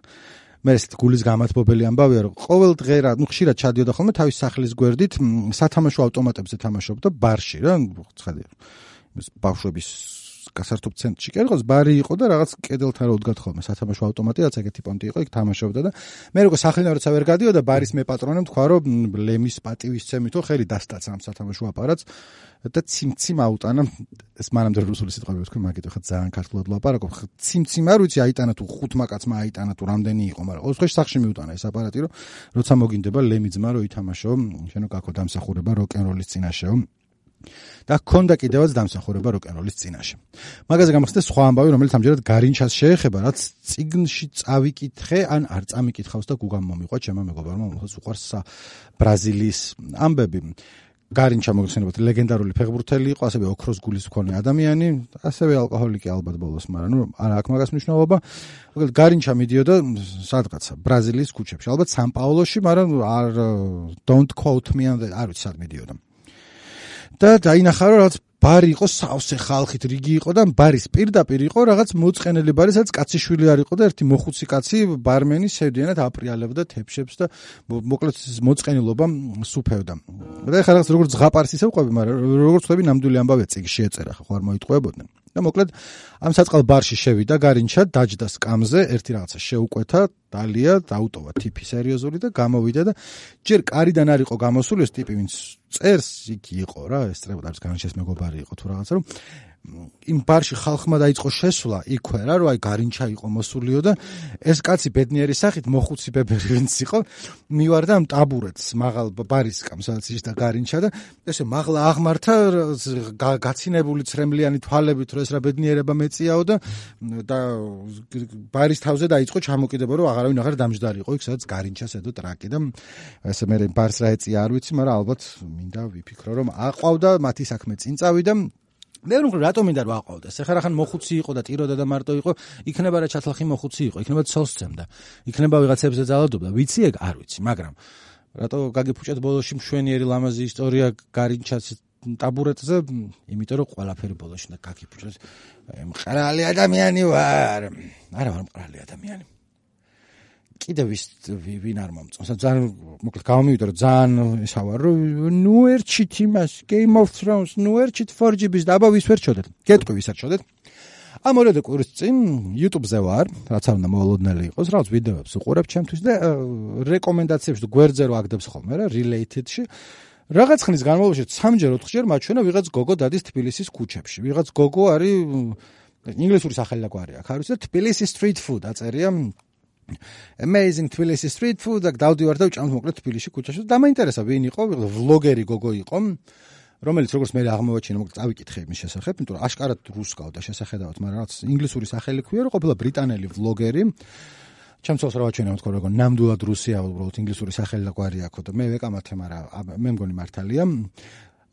Speaker 1: მე ეს გულის გამათბობელი ამბავია, რომ ყოველ დღე რა, ხშირად ჩადიოდა ხოლმე თავის სახლის გვერდით სათამაშო ავტომატებზე თამაშობდა ბარში რა, ცხადია. ბავშვების გასართობ ცენტრში კი რაღაც ბარი იყო და რაღაც კედელთან როდგათ ხოლმე სათამაშო ავტომატი, რაც ეგეთი პონტი იყო, იქ თამაშობდა და მე როგორ სახლიდან როცა ვერ გადიოდა ბარის მეპატრონემ თქვა, რომ ლემის პატივისცემითო ხელი დასტაცა ამ სათამაშო აპარატს და ციმციმ აუტანა. ეს მანამდე რუსული სიტყვები ვთქვი, მაგით ხა ძალიან ქართულად ლაპარაკობ. ციმციმ არ ვიცი აიტანა თუ 5 კაცმა აიტანა თუ რამდენი იყო, მაგრამ ოცხეში სახში მიუტანა ეს აპარატი, რომ როცა მოგინდება ლემი ძმა რო ითამაშო, შენო კაკო დამსახურება როკ-ენ-როლის წინაშეო. და ჰქონდა კიდევაც დამსახურება როკ-ენ-როლის წინაშე. მაგაზე გამახსენდა სხვა ამბავი, რომელიც ამჯერად გარინჩას შეეხება, რაც წიგნში წავიკითხე, ან არ წამიკითხავს და გუგამ მომიყვა ჩემმა მეგობარმა, რომელსაც უყვარს ბრაზილიის ამბები. გარინჩა მოგხსენებათ ლეგენდარული ფეხბურთელი იყო, ასევე ოქროს გულის მქონე ადამიანი, ასევე ალკოჰოლიკი ალბათ ბოლოს, მაგრამ არა აქვს მაგას მნიშვნელობა. მოკლედ გარინჩა მიდიოდა სადღაცა ბრაზილიის ქუჩებში, ალბათ სან-პაულოში, მაგრამ არ don't quote me, არ ვიცი სად მიდიოდა. და დაინახა რომ რაღაც ბარი იყო სავსე ხალხით რიგი იყო და ბარის პირდაპირ იყო რაღაც მოწყენილი ბარი, სადაც კაციშვილი არ იყო და ერთი მოხუცი კაცი ბარმენი სევდიანად აპრიალებდა თეფშებს და მოკლედ მოწყენილობა სუფევდა. და ეხლა რაღაც როგორც ზღაპარს ისე ვყვები, მაგრამ როგორც ვთქვი ნამდვილი ამბავია წიგნში ეწერა, ხო არ მოიტყვებოდნენ. და მოკლედ ამ საწყალ ბარში შევიდა გარინჩა, დაჯდა სკამზე, ერთი რაღაცა შეუკვეთა, დალია, დაუტოვა ტიპი სერიოზული და გამოვიდა და ჯერ კარიდან არ იყო გამოსული ეს ტიპი, ვინც წერს, იქ იყო რა, ეს წერებდა არის გარინჩას მეგობარი იყო თუ რაღაცა, რომ იმ ბარში ხალხმა დაიწყო შესვლა იქვე რა, რომ აი გარინჩა იყო მოსულიო და ეს კაცი ბედნიერი სახით მოხუცი ბებერი ვინც იყო, მივარდა ამ ტაბურეთს მაღალ ბარის სკამს, სადაც ის და გარინჩა და ესე მაღლა აღმართა გაცინებული ცრემლიანი თვალებით, რომ ეს რა ბედნიერება მეწიაო და ბარის თავზე დაიწყო ჩამოკიდება, რომ აღარავინ აღარ დამჯდარიყო იქ, სადაც გარინჩას ედო ტრაკი და ესე მე ბარს რა ეწია არ ვიცი, მაგრამ ალბათ მინდა ვიფიქრო, რომ აყვავდა მათი საქმე წინ წავიდა. მე რომ რატომ მინდა რომ აყვავდეს? ეხლა რახან მოხუცი იყო და ტიროდა და მარტო იყო, იქნება რა ჩათლახი მოხუცი იყო, იქნება ცოლს წემდა, იქნება ვიღაცებზე ძალადობდა, ვიცი ეგ არ ვიცი, მაგრამ რატო გაგიფუჭეთ ბოლოში მშვენიერი ლამაზი ისტორია გარინჩას ტაბურეტზე, იმიტომ რომ ყველაფერი ბოლოში და გაგიფუჭეთ მყრალი ადამიანი ვარ. არა ვარ მყრალი ადამიანი. კიდევ ვინ არ მომწონს. ძალიან მოკლედ გამომივიდა რომ ძალიან ისა ვარ რომ ნუ ერჩით იმას Game of Thrones, ნუ ერჩით 4GB-ს და აბა ვის ვერ ჩოდეთ. გეტყვი ვის არ ჩოდეთ. ამ ორად კვირის წინ YouTube-ზე ვარ, რაც არ უნდა მოულოდნელი იყოს, რაღაც ვიდეოებს უყურებ ჩემთვის და რეკომენდაციებში და გვერდზე რო აგდებს ხოლმე რა, related-ში. რაღაც ხნის განმავლობაში 3-4-ჯერ მაჩვენა ვიღაც გოგო დადის თბილისის ქუჩებში. ვიღაც გოგო არის ინგლისური სახელი და გვარი აქვს, არ ვიცი და თბილისი street food აწერია. Amazing Tbilisi street food და დავდივარ და ვჭამთ მოკლედ თბილისში ქუჩაში და დამაინტერესა ვინ იყო, ვლოგერი გოგო იყო, რომელიც როგორც მე აღმოვაჩინა, მოკლედ წავიკითხე იმის შესახებ, იმიტომ რომ აშკარად რუსკავდა შესახედავად, მაგრამ რაღაც ინგლისური სახელი ქვია, რომ ყოფილა ბრიტანელი ვლოგერი. ჩემ ცოლს რა ვაჩვენა, თქო როგორ ნამდვილად რუსია, უბრალოდ ინგლისური სახელი და გვარი აქვს და მე ვეკამათე, მაგრამ მე მგონი მართალია.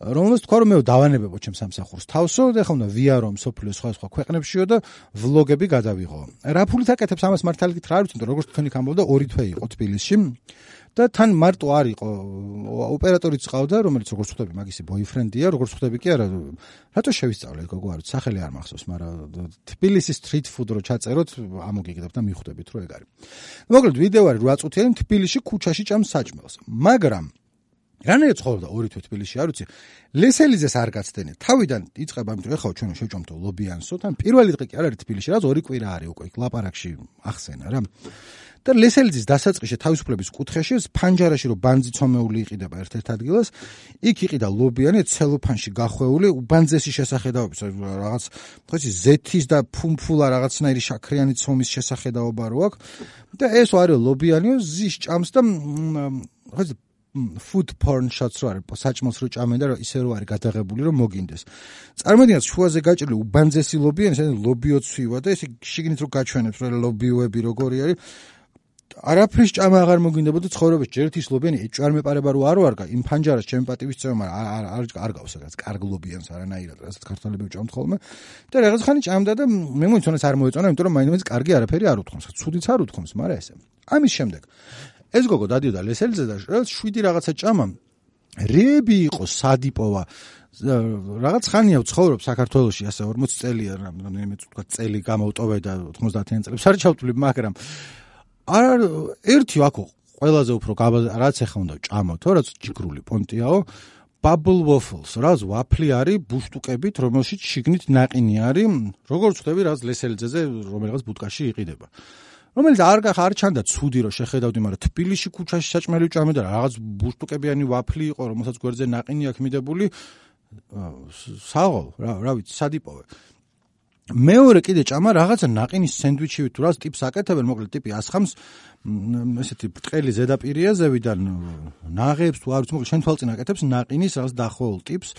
Speaker 1: რომელსაც თქვა რომ მე დავანებებო ჩემს სამსახურს თავსო და ხომ და ვიარო მსოფლიოს სხვა ქვეყნებშიო და ვლოგები გადავიღო. რა ფულით აკეთებს ამას მართალით რა არ ვიცი, როგორც თქვენი ამბობდა 2 თვე იყო თბილისში და თან მარტო არ იყო ოპერატორიც ყავდა, რომელიც როგორც ხვდები მაგისი ბოიფრენდია, როგორც ხვდები კი არა, რატო შევისწავლეთ გოგო არ ვიცი, სახელი არ მახსოვს, მაგრამ თბილისის street food რო ჩაწეროთ, ამოგიგდებ და მიხვდებით რომ ეგ არის. მოკლედ ვიდეო არის 8 წუთიანი თბილისში ქუჩაში ჭამს საჭმელს. მაგრამ რანაირად ცხოვრობდა 2 თვე თბილისში, არ ვიცი. ლესელიძეს არ გაცდენე. თავიდან იწყება ამით რომ ეხლა ჩვენ შევჭამთო ლობიანსო, თან პირველი დღე კი არ არის თბილისში, რაც 2 კვირა არის უკვე იქ ლაპარაკში ახსენა რა. და ლესელიძის დასაწყისში თავისუფლების კუთხეში ფანჯარაში რომ ბანძი ცომეული იყიდება ერთ-ერთ ადგილას, იქ იყიდა ლობიანი ცელოფანში გახვეული უბანძესი შესახედაობის რაღაც ხო იცი ზეთის და ფუმფულა რაღაცნაირი შაქრიანი ცომის შესახედაობა რო აქვს და ეს არის ლობიანიო ზის ჭამს და ხო იცი food porn shots რო არის საჭმელს რო ჭამენ და ისე რო არის გადაღებული რომ მოგინდეს. წარმოვიდგინეთ შუაზე გაჭრილი უბანძესი ლობიანი, ეს ლობიოცვივა და ესე შიგნით რო გაჩვენებს რომ ლობიოები როგორი არის. არაფრის ჭამა აღარ მოგინდებოდა ცხოვრებაში ჯერ ის ლობიანი ეჭვარ მეპარება რო არ ვარგა იმ ფანჯარას ჩემი პატივის წევა მაგრამ არ გავს რაღაც კარგ ლობიანს არანაირად რასაც ქართველები ჭამთ ხოლმე და რაღაც ხანი ჭამდა და მე მომიცონეს არ მოეწონა იმიტომ რომ მაინც კარგი არაფერი არ უთხოვს ცუდიც არ უთხოვს მაგრამ ესე ამის შემდეგ ეს გოგო დადიოდა ლესელიძე და 7 რაღაცა ჭამა რეები იყო სადიპოვა რაღაც ხანია ვცხოვრობ საქართველოში ასე 40 წელია რამდენიმე თქვა წელი გამოვტოვე და 90-იან წლებს არ ჩავთვლი მაგრამ არ ერთი აქო ყველაზე უფრო რაც ეხა უნდა ჭამოთო რაც ჯიგრული პონტიაო bubble waffles რაც ვაფლი არის ბუშტუკებით რომელშიც შიგნით ნაყინი არის როგორც ხვდები რაც ლესელიძეზე რომელიღაც ბუტკაში იყიდება რომელიც არ ჩანდა ცუდი რომ შეხედავდი მაგრამ თბილისში ქუჩაში საჭმელი ჭამე და რაღაც ბუშტუკებიანი ვაფლი იყო რომელსაც გვერდზე ნაყინი აქვს მიდებული საღოლ რა ვიცი სადიპოვე მეორე კიდე ჭამა რაღაცა ნაყინის სენდვიჩივით თუ რას ტიპს აკეთებენ მოკლედ ტიპი ასხამს ესეთი ბრტყელი ზედაპირია ზევიდან ნაღებს თუ არ ვიცი მოკლედ შენ თვალწინ აკეთებს ნაყინის რაღაც დახოვულ ტიპს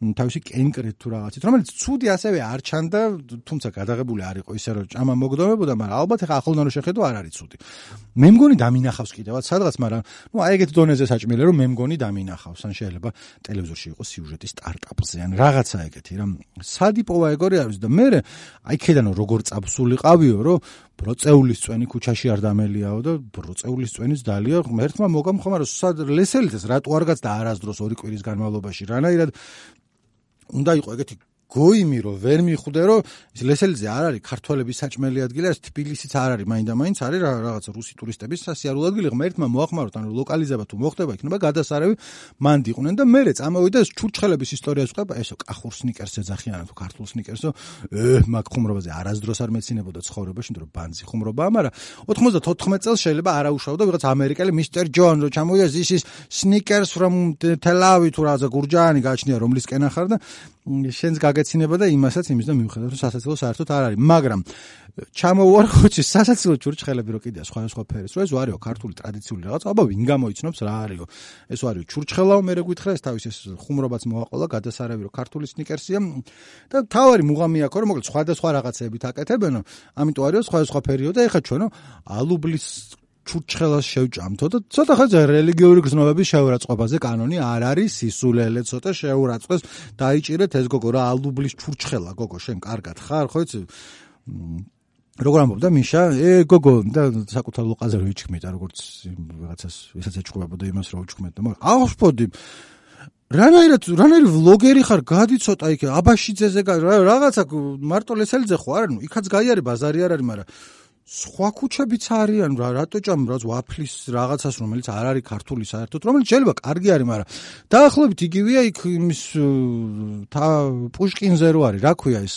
Speaker 1: თავისი კენკრით თუ რაღაცით რომელიც ცუდი ასევე არ ჩანდა თუმცა გადაღებული არ იყო ისე რომ ჭამა მოგდომებოდა მაგრამ ალბათ ეხა ახლოდან რო შეხედო არ არის ცუდი მე მგონი დამინახავს კიდევაც სადღაც მაგრამ ნუ აი ეგეთ დონეზე საჭმელი რომ მე მგონი დამინახავს ან შეიძლება ტელევიზორში იყოს სიუჟეტი სტარტაპზე ან რაღაცა ეგეთი რა სადიპოვა ეგორი არის და მე აი ქედან როგორ წაბსულიყავიო რომ ბროწეულის წვენი ქუჩაში არ დამელიაო და ბროწეულის წვენის დალია ერთმა მოგამხო მაგრამ სად ლესელიძეს რატო არ გაც და არასდროს 2 კვირის განმავლობაში რანაირად უნდა იყო ეგეთი გოიმი რომ ვერ მიხვდე რომ ის ლესელიძე არ არის ქართველების საჭმელი ადგილი არის თბილისიც არ არის მაინდა-მაინც არის რაღაც რუსი ტურისტების სასიარულო ადგილი ღმერთმა მოახმაროთ ან ლოკალიზება თუ მოხდება იქნება გადასარევი მან დიყვნენ და მერე წამოვიდა ჩურჩხელების ისტორიას ვყვება ესო კახურ სნიკერს ეძახიან თუ ქართულ სნიკერსო მაგ ხუმრობაზე არასდროს არ მეცინებოდა ცხოვრებაში იმიტომ რომ ბანძი ხუმრობაა მაგრამ 94 წელს შეიძლება არაუშავდა ვიღაც ამერიკელი მისტერ ჯონ რო ჩამოვიდა this is sneakers from Tel Aviv თუ რაღაცა გურჯაანი გააჩნია რომლისკენ ახარ და შენს გაგეცინება და იმასაც იმის და მივხედავ რომ სასაცილო საერთოდ არ არის მაგრამ ჩამოვარ ხოჩი სასაცილო ჩურჩხელები რო კიდია სხვა ფერის რო ეს ვარიო ქართული ტრადიციული რაღაც აბა ვინ გამოიცნობს რა არისო ეს ვარიო ჩურჩხელაო მე გითხრა ეს თავის ეს ხუმრობაც მოაყოლა გადასარავი რო ქართული სნიკერსია და თავარი მუღამი აქვს რომ მოკლედ სხვადასხვა რაღაცეებით აკეთებენო ამიტომ არისო სხვა ფერიო და ეხა ჩვენო ალუბლის ჩურჩხელას შევჭამთო და ცოტა ხანზე რელიგიური გზნობების შეურაცხყოფაზე კანონი არ არის სისულელე ცოტა შეურაცხეს დაიჭირეთ ეს გოგო რა ალუბლის ჩურჩხელა გოგო შენ კარგად ხარ ხო იცი როგორ ამბობდა მიშა გოგო და საკუთარ ლოყაზე რო იჩქმედა როგორც ვიღაცას ვისაც ეჭყვებოდა იმას რო უჩქმედა მაგრამ აღსპოდი რანაირი ვლოგერი ხარ გადი ცოტა იქ აბაშიძეზე რაღაცა მარტო ლესელიძე ხო არა ნუ იქაც გაიარე ბაზარი არ არის მაგრამ სხვა ქუჩებიც არიან რა რატო ჭამ რაც ვაფლის რაღაცას რომელიც არ არის ქართული საერთოდ რომელიც შეიძლება კარგი არის მაგრამ დაახლოებით იგივეა იქ იმის პუშკინზე რო არის რა ქვია ეს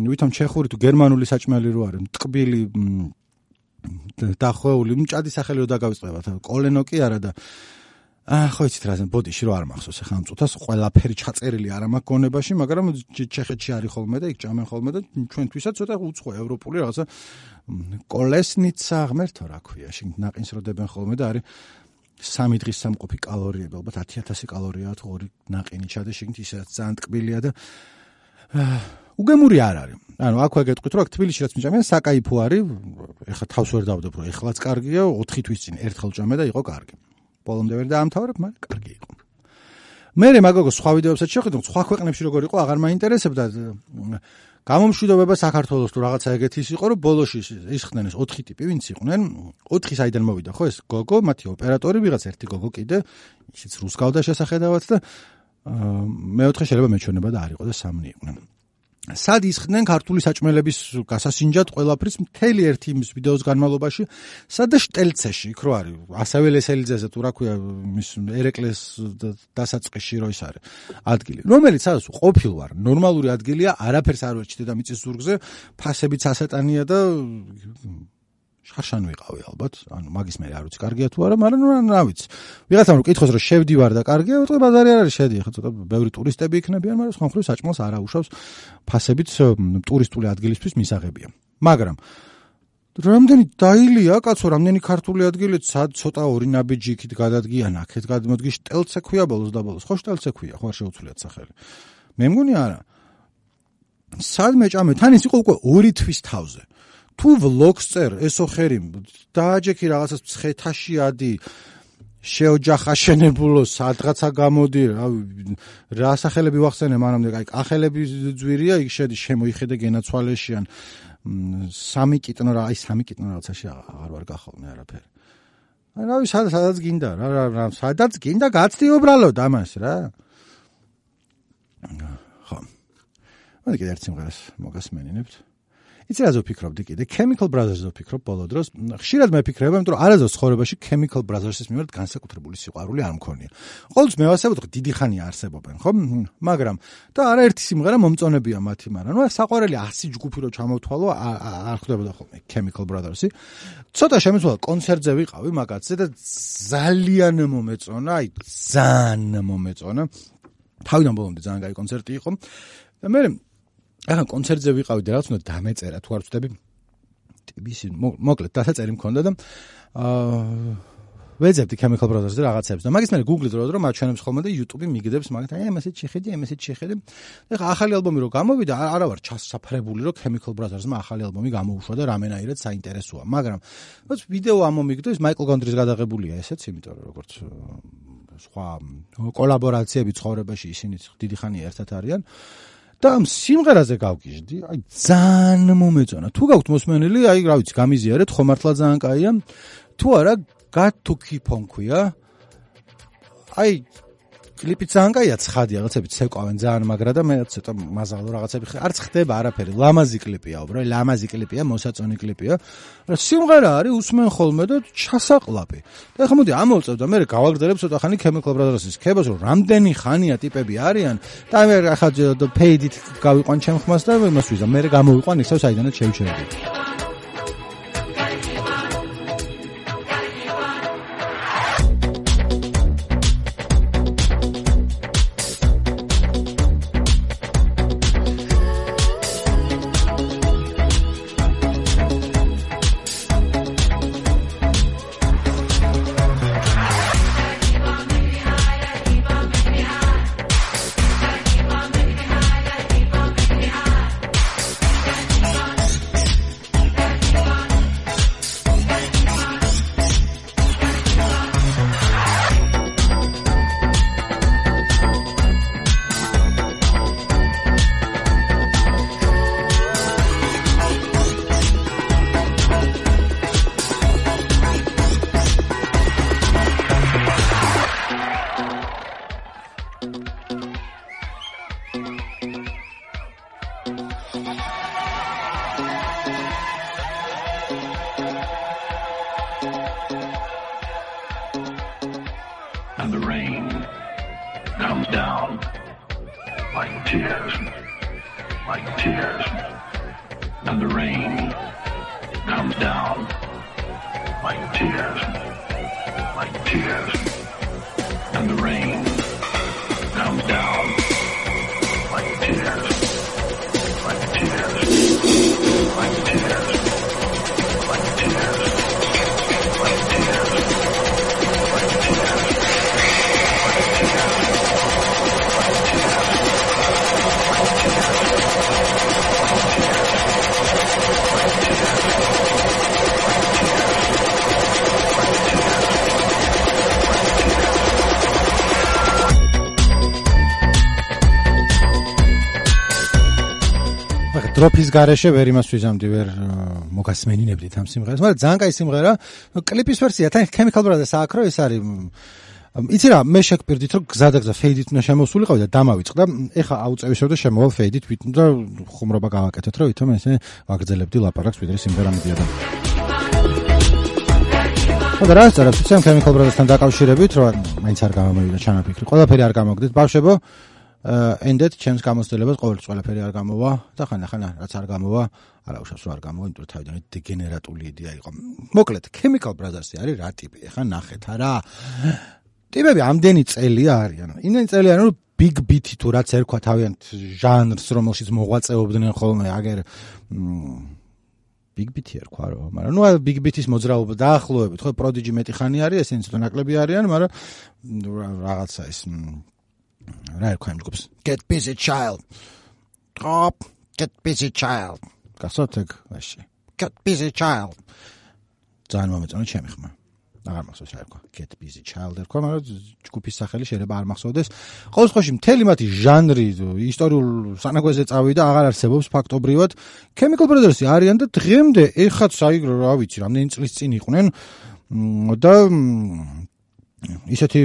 Speaker 1: ვითომ ჩეხური თუ გერმანული საჭმელი რო არის ტყბილი დახვეული მჭადი სახელი რო დაგავიწყებათ კოლენო კი არა და ხო იცით რა ბოდიში რო არ მახსოვს ახლა ამ წუთას ყველაფერი ჩაწერილი არ მაქვს გონებაში მაგრამ ჩეხეთში არის ხოლმე და იქ ჭამენ ხოლმე და ჩვენთვისაც ცოტა უცხო ევროპული რაღაცა კოლესნიცა ღმერთო რა ქვია შენ ნაყინს რო დებენ ხოლმე და არის 3 დღის სამყოფი კალორიები ალბათ 10000 კალორიაა თუ 2 ნაყინი ჩადე შეგნით ისედაც ძალიან ტკბილია და უგემური არ არის ანუ აქვე გეტყვით რომ აქ თბილისში რაც მიჭამიან საკაიფო არის ეხლა თავს ვერ დავდებ რომ ეხლაც კარგია 4 თვის წინ ერთხელ ჭამე და იყო კარგი ბოლომდე ვერ დაამთავრებ, მაგრამ კარგი იყო. მე მაგოგო სხვა ვიდეოებსაც შევხედავ, სხვა ქვეყნებში როგორ იყო, აღარ მაინტერესებდა. გამომშვიდობება საქართველოს თუ რაღაცა ეგეთი ის იყო, რომ ბოლოში ისხდნენ ეს 4 ტიპი, ვინც იყვნენ, 4 საიდან მოვიდა, ხო, ეს გოგო, მათი ოპერატორი, ვიღაც ერთი გოგო კიდე, ისიც რუსკავდა შესახედავად და მეოთხე შეიძლება მეჩვენება და არ იყო და 3 იყვნენ. სად ისხდნენ ქართული საჭმელების გასასინჯად ყველაფრის მთელი ერთი იმის ვიდეოს განმავლობაში, სადა შტელცეში, იქ რო არის, ასევე ლესელიძეზე თუ რა ქვია, მის ერეკლეს დასაწყისში რო ის არის ადგილი, რომელიც სადაც ყოფილ ვარ, ნორმალური ადგილია, არაფერს არ ვერჩით და მიწის ზურგზე, ფასებიც ასატანია და შარშან ვიყავი ალბათ, ანუ მაგის მე არ ვიცი, კარგია თუ არა, მაგრამ რა ვიცი. ვიღაცამ რომ კითხოს რომ შევდივარ და კარგია, ვიტყვი ბაზარი არ არის, შედი, ხო ცოტა ბევრი ტურისტები იქნებიან, მაგრამ სხვა მხრივ საჭმელს არ აუშავს, ფასებიც ტურისტული ადგილისთვის მისაღებია. მაგრამ რამდენი დაილია, კაცო, რამდენი ქართული ადგილით, სად ცოტა ორი ნაბიჯი იქით გადადგიან, აქეთ გადმოდგი შტელცე ქვია ბოლოს და ბოლოს, ხო შტელცე ქვია, ხო არ შეუცვლიათ სახელი. მე მგონი არა. სად მეჭამე, თან ის იყო უკვე 2 თვის თავზე. თუ ვლოგს წერ, ესო ხერი, დააჯექი რაღაცას მცხეთაში ადი, შეოჯახაშენებულო, სადღაცა გამოდი, რა სახელები ვახსენე მანამდე, აი, კახელები ძვირია, იქ შედი, შემოიხედე გენაცვალეშიან, 3 კიტნო რა, აი 3 კიტნო რაღაცაში აღარ ვარ გახოვნე არაფერი. აი, რავი, სადაც გინდა, რა, სადაც გინდა, გაცდი უბრალოდ ამას რა. ხო. მე კიდე ერთ სიმღერას მოგასმენინებთ. იცი რა ვფიქრობდი კიდე, Chemical Brothers-ზე ვფიქრობ ბოლო დროს. ხშირად მეფიქრება, იმიტომ რომ არასდროს ცხოვრებაში Chemical Brothers-ის მიმართ განსაკუთრებული სიყვარული არ მქონია. ყოველთვის მე ვასებობ, დიდი ხანია არსებობენ, ხო? მაგრამ და არაერთი სიმღერა მომწონებია მათი, მაგრამ ნუ საყვარელი 100 ჯგუფი რო ჩამოვთვალო, არ ხვდებოდა ხოლმე Chemical Brothers-ი. ცოტა შემეცვალა კონცერტზე ვიყავი მაგაცზე და ძალიან მომეწონა, აი ძალიან მომეწონა. თავიდან ბოლომდე ძალიან კაი კონცერტი იყო. და მე ახლა კონცერტზე ვიყავი და რაც უნდა დამეწერა თუ არ ვწდები ტიბის მოკლედ დასაწერი მქონდა და ვეძებდი Chemical Brothers-ზე რაღაცებს და მაგის მერე Google-ით რომ მაჩვენებს ხოლმე და YouTube-ი მიგდებს მაგათ აი ამასეთ შეხედე ეხლა ახალი ალბომი რო გამოვიდა არა ვარ ჩასაფრებული რომ Chemical Brothers-მა ახალი ალბომი გამოუშვა და რამენაირად საინტერესოა მაგრამ რაც ვიდეო ამომიგდო ის Michael Gondry-ს გადაღებულია ესეც იმიტომ რომ როგორც სხვა კოლაბორაციები ცხოვრებაში ისინი დიდი ხანია ერთად არიან და ამ სიმღერაზე გავგიჟდი, აი ძალიან მომეწონა. თუ გაქვთ მოსმენილი, აი რა ვიცი, გამიზიარეთ, ხო მართლა ძალიან კაია. თუ არა, Got to Keep On ქვია. აი კლიპი ძალიან კაია, ცხადია, რაღაცები ცეკვავენ ძალიან მაგრა და მე ცოტა მაზალო რაღაცები არც ხდება არაფერი. ლამაზი კლიპია, უბრალოდ ლამაზი კლიპია, მოსაწონი კლიპია. რა სიმღერა არის, უსმენ ხოლმე და ჩასაყლაპი. და ახლა მოდი ამოვწევ და მე გავაგრძელებ ცოტა ხანი Chemical Brothers-ის ქებას, რომ რამდენი ხანია ტიპები არიან და მე ახლა paid-ით გავიყვან ჩემ ხმას და იმას ვიზა, მე გამოვიყვან ისევ საიდანაც შევჩერდი.
Speaker 3: And the rain comes down like tears, and the rain comes down like tears, and the rain comes down like tears, like tears, like tears, like tears, like tears, like tears.
Speaker 1: დროფის გარეშე ვერ იმას ვიზამდი, ვერ მოგასმენინებდით ამ სიმღერას, მაგრამ ძალიან კაი სიმღერა. კლიპის ვერსია თან Chemical Brothers აქ რო ეს არის იცი რა, მე შეგპირდით რომ გზადაგზა ფეიდით უნდა შემოსულიყავი და დამავიწყდა. ეხა აუწევისო და შემოვალ ფეიდით და ხუმრობა გავაკეთეთ, რომ ვითომ ესე ვაგრძელებდი ლაპარაკს, ვიდრე სიმღერა მიდიოდა. და რა წერებს ცემ Chemical Brothers-თან დაკავშირებით, რომ მაინც არ გამომივიდა ჩანაფიქრი. ყველაფერი არ გამოგდეთ, ბავშვებო. ენდეთ ჩემს გამოცდილებას ყოველთვის ყველაფერი არ გამოვა და ხან რაც არ გამოვა, არაუშავს რომ არ გამოვა, იმიტომ რომ თავიდან დეგენერატული იდეა იყო. მოკლედ, Chemical Brothers-ი არის რა ტიპი? ეხა ნახეთ არა. ტიპები ამდენი წელია არიან. იმდენი წელია რომ big beat-ი თუ რაც ერქვა თავიანთ ჟანრს, რომელშიც მოღვაწეობდნენ ხოლმე, აგერ big beat-ი ერქვა რა, მაგრამ ნუ big beat-ის მოძრაობა დაახლოებით, ხო, Prodigy მეტი ხანი არის, ესენი ცოტა ნაკლები არიან, მაგრამ რაღაცა ის რა ერქვა იმ ჯგუფს? Get busy child. Get busy child. გასწორთ ეგ ვაში. Get busy child. ძალიან მომეწონა ჩემი ხმა. აღარ მახსოვს რა ერქვა. Get busy child ერქვა, მაგრამ ჯგუფის სახელი შეიძლება არ მახსოვდეს. ყოველ შემთხვევაში მთელი მათი ჟანრი ისტორიულ სანაგვეზე წავიდა, აღარ არსებობს ფაქტობრივად. Chemical Brothers-ი არიან და დღემდე ეხაც აი რა ვიცი, რამდენი წლის წინ იყვნენ და ისეთი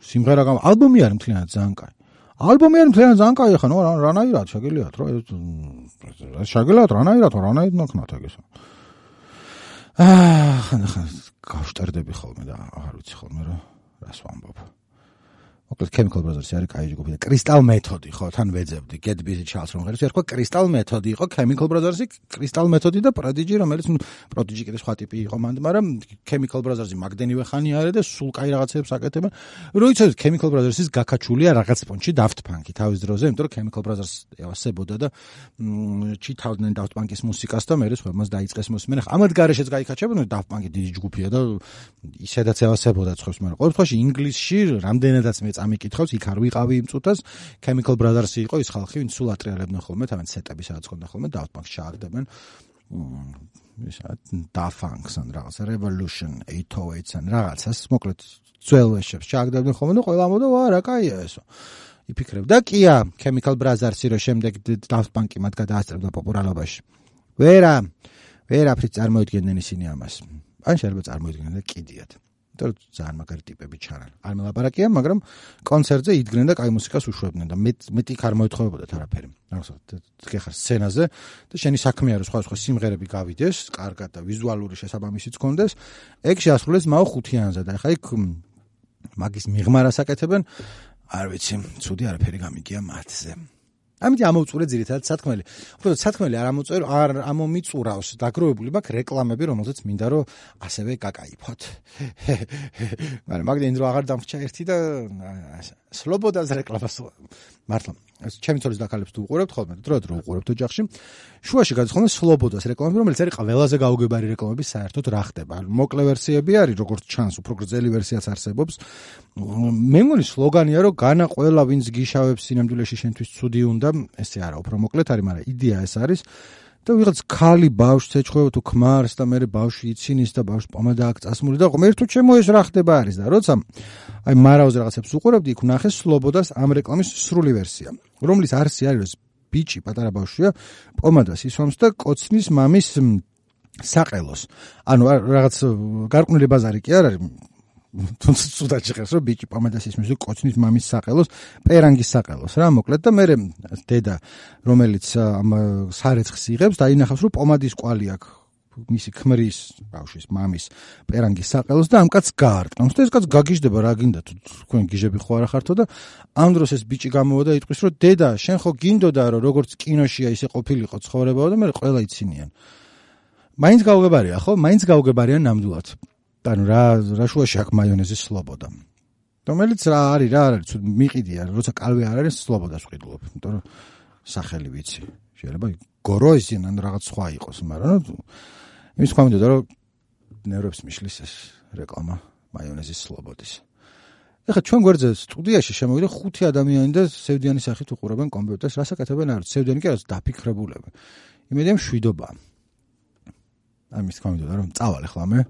Speaker 1: სიმღერა ალბომი არის მთლიანად ძალიან კაი. ალბომი არის მთლიანად ძალიან კაი, ხა ნუ რანაირად შეგიძლიათ რა შეგიძლიათ რანაირად ნახნათ ეგესა. ხან გავშტერდები ხოლმე და აღარ ვიცი ხოლმე რა რას ვამბობ. მოკლედ Chemical Brothers-ი არის კაი ჯგუფი და Crystal Method-ი ხო თან ვეძებდი Get Busy Child რომ ერქვა Crystal Method-ი იყო Chemical Brothers-ი Crystal Method-ი და Prodigy რომელიც Prodigy კიდე სხვა ტიპი იყო მანდ, მაგრამ Chemical Brothers-ი მაგდენივე ხანი არის და სულ კაი რაღაცებს აკეთებენ. რო იცოდეთ Chemical Brothers-ის გაკაჩულია რაღაც პონჩი Daft Punk-ი თავის დროზე, იმიტომ რომ Chemical Brothers ევასებოდა და ჩითავდნენ Daft Punk-ის მუსიკას და მერე სხვებმაც დაიწყეს მოსმენა. ამათ გარეშეც გაიქაჩებოდნენ Daft Punk-ი დიდი ჯგუფია და ისედაც ევასებოდა ცხობს, მაგრამ ყოველ შემთხვევაში ინგლისში რამდენადაც ამიკითხავს, იქ არ ვიყავი იმ წუთას, Chemical Brothers-ი იყო ის ხალხი, ვინც სულ ატრიალებდნენ ხოლმე, თავენ სეტები სადაც ხონდა ხოლმე, Daft Punk-ს ჩააგდებენ. Daft Punk-ს ან რაღაც Revolution 808-ს ან რაღაცას, მოკლედ ძველ ვეშებს ჩააგდებდნენ ხოლმე და ყველა ამბობდა, ვა, რა კაია ესო. იფიქრებ და კია, Chemical Brothers-ი რო შემდეგ Daft Punk-ი მათ გადაასწრებდა პოპულარობაში. ვერაფრით წარმოიდგენდნენ ისინი ამას. ან შეიძლება წარმოიდგენენ და კიდიათ. და ძალიან მაგარი ტიპები ჩანან. არ მელაპარაკია, მაგრამ კონცერტზე იდგნენ და კაი მუსიკას უშვებდნენ და მეტი იქ არ მოეთხოვებოდათ არაფერი. გეხარ სცენაზე და შენი საქმეა რომ სხვა სიმღერები გავიდეს, კარგად და ვიზუალური შესაბამისიც გქონდეს, ეგ შეასრულეს მაო 5-იანზე და ეხა იქ მაგის მიღმარას აკეთებენ, არ ვიცი, ცუდი არაფერი გამიგია მათზე. ამიტომ ამოვწურე ძირითადად სათქმელი. უბრალოდ სათქმელი არ ამომიწურავს დაგროვებული მაქვს რეკლამები, რომელზეც მინდა რომ ასევე გაკაიფოთ. მაგრამ მაგდენ რომ აღარ დამრჩა ერთი და სლობოდას რეკლამას მართლა ჩემი ცოლის დაკალებს თუ უყურებთ ხოლმე, დრო უყურებთ ოჯახში. შუაში გადის ხოლმე სლობოდას რეკლამები, რომელიც არის ყველაზე გაუგებარი რეკლამები საერთოდ რა ხდება. მოკლე ვერსიები არის, როგორც ჩანს, უფრო გრძელი ვერსიაც არსებობს. მე მგონი სლოგანია რომ განა ყველა ვინც გიშავებს სინამდვილეში შენთვის ცუდი უნდა, ესე არა, უფრო მოკლედ არის, მაგრამ იდეა ეს არის. და ვიღაც ქალი ბავშვს ეჩხება თუ ქმარს და მე ბავშვი იცინის და ბავშვს პომადა აქვს წასმული და ღმერთო ჩემო ეს რა ხდება არის და როცა აი მარაუზე რაღაცებს უყურებდი, იქ ვნახე სლობოდას ამ რეკლამის სრული ვერსია, რომლის არსი არის რომ ბიჭი პატარა ბავშვია, პომადას ისვამს და კოცნის მამის საყელოს. ანუ რაღაც გარყვნილი ბაზარი კი არ არის, თუნდაც ცუდად შეხედავს რომ ბიჭი პომადას ისმის და კოცნის მამის საყელოს, პერანგის საყელოს რა, მოკლედ და მე დედა რომელიც ამ სარეცხს იღებს დაინახავს რომ პომადის კვალი აქვს მისი ქმრის ბავშვის მამის პერანგის საყელოს და ამ კაცს გაარტყამს და ეს კაც გაგიჟდება რა გინდა თუ თქვენ გიჟები ხო არა ხართო და ამ დროს ეს ბიჭი გამოვა და იტყვის რომ დედა შენ ხო გინდოდა რომ როგორც კინოშია ისე ყოფილიყო ცხოვრებაო და მე ყველა იცინიან. მაინც გაუგებარია ხო? მაინც გაუგებარია ნამდვილად. ანუ რა შუაში აქვს მაიონეზის სლობოდა. რომელიც რა არის მიყიდია, როცა კალვე არ არის სლობოდას ვყიდულობ, იმიტომ რომ სახელი ვიცი. შეიძლება გოროიზინ ან რაღაც სხვა იყოს, მაგრამ იმის თქვა მინდოდა რომ ნერვებს მიშლის ეს რეკლამა მაიონეზის სლობოდის. ეხლა ჩვენ გვერდზე სტუდიაში შემოვიდა 5 ადამიანი და სევდიანის სახით უყურებენ კომპიუტერს, რას აკეთებენ არის? სევდიანი კი არის დაფიქრებულები. იმედია მშვიდობა. ამის თქვა მინდოდა რომ წავალ ახლა მე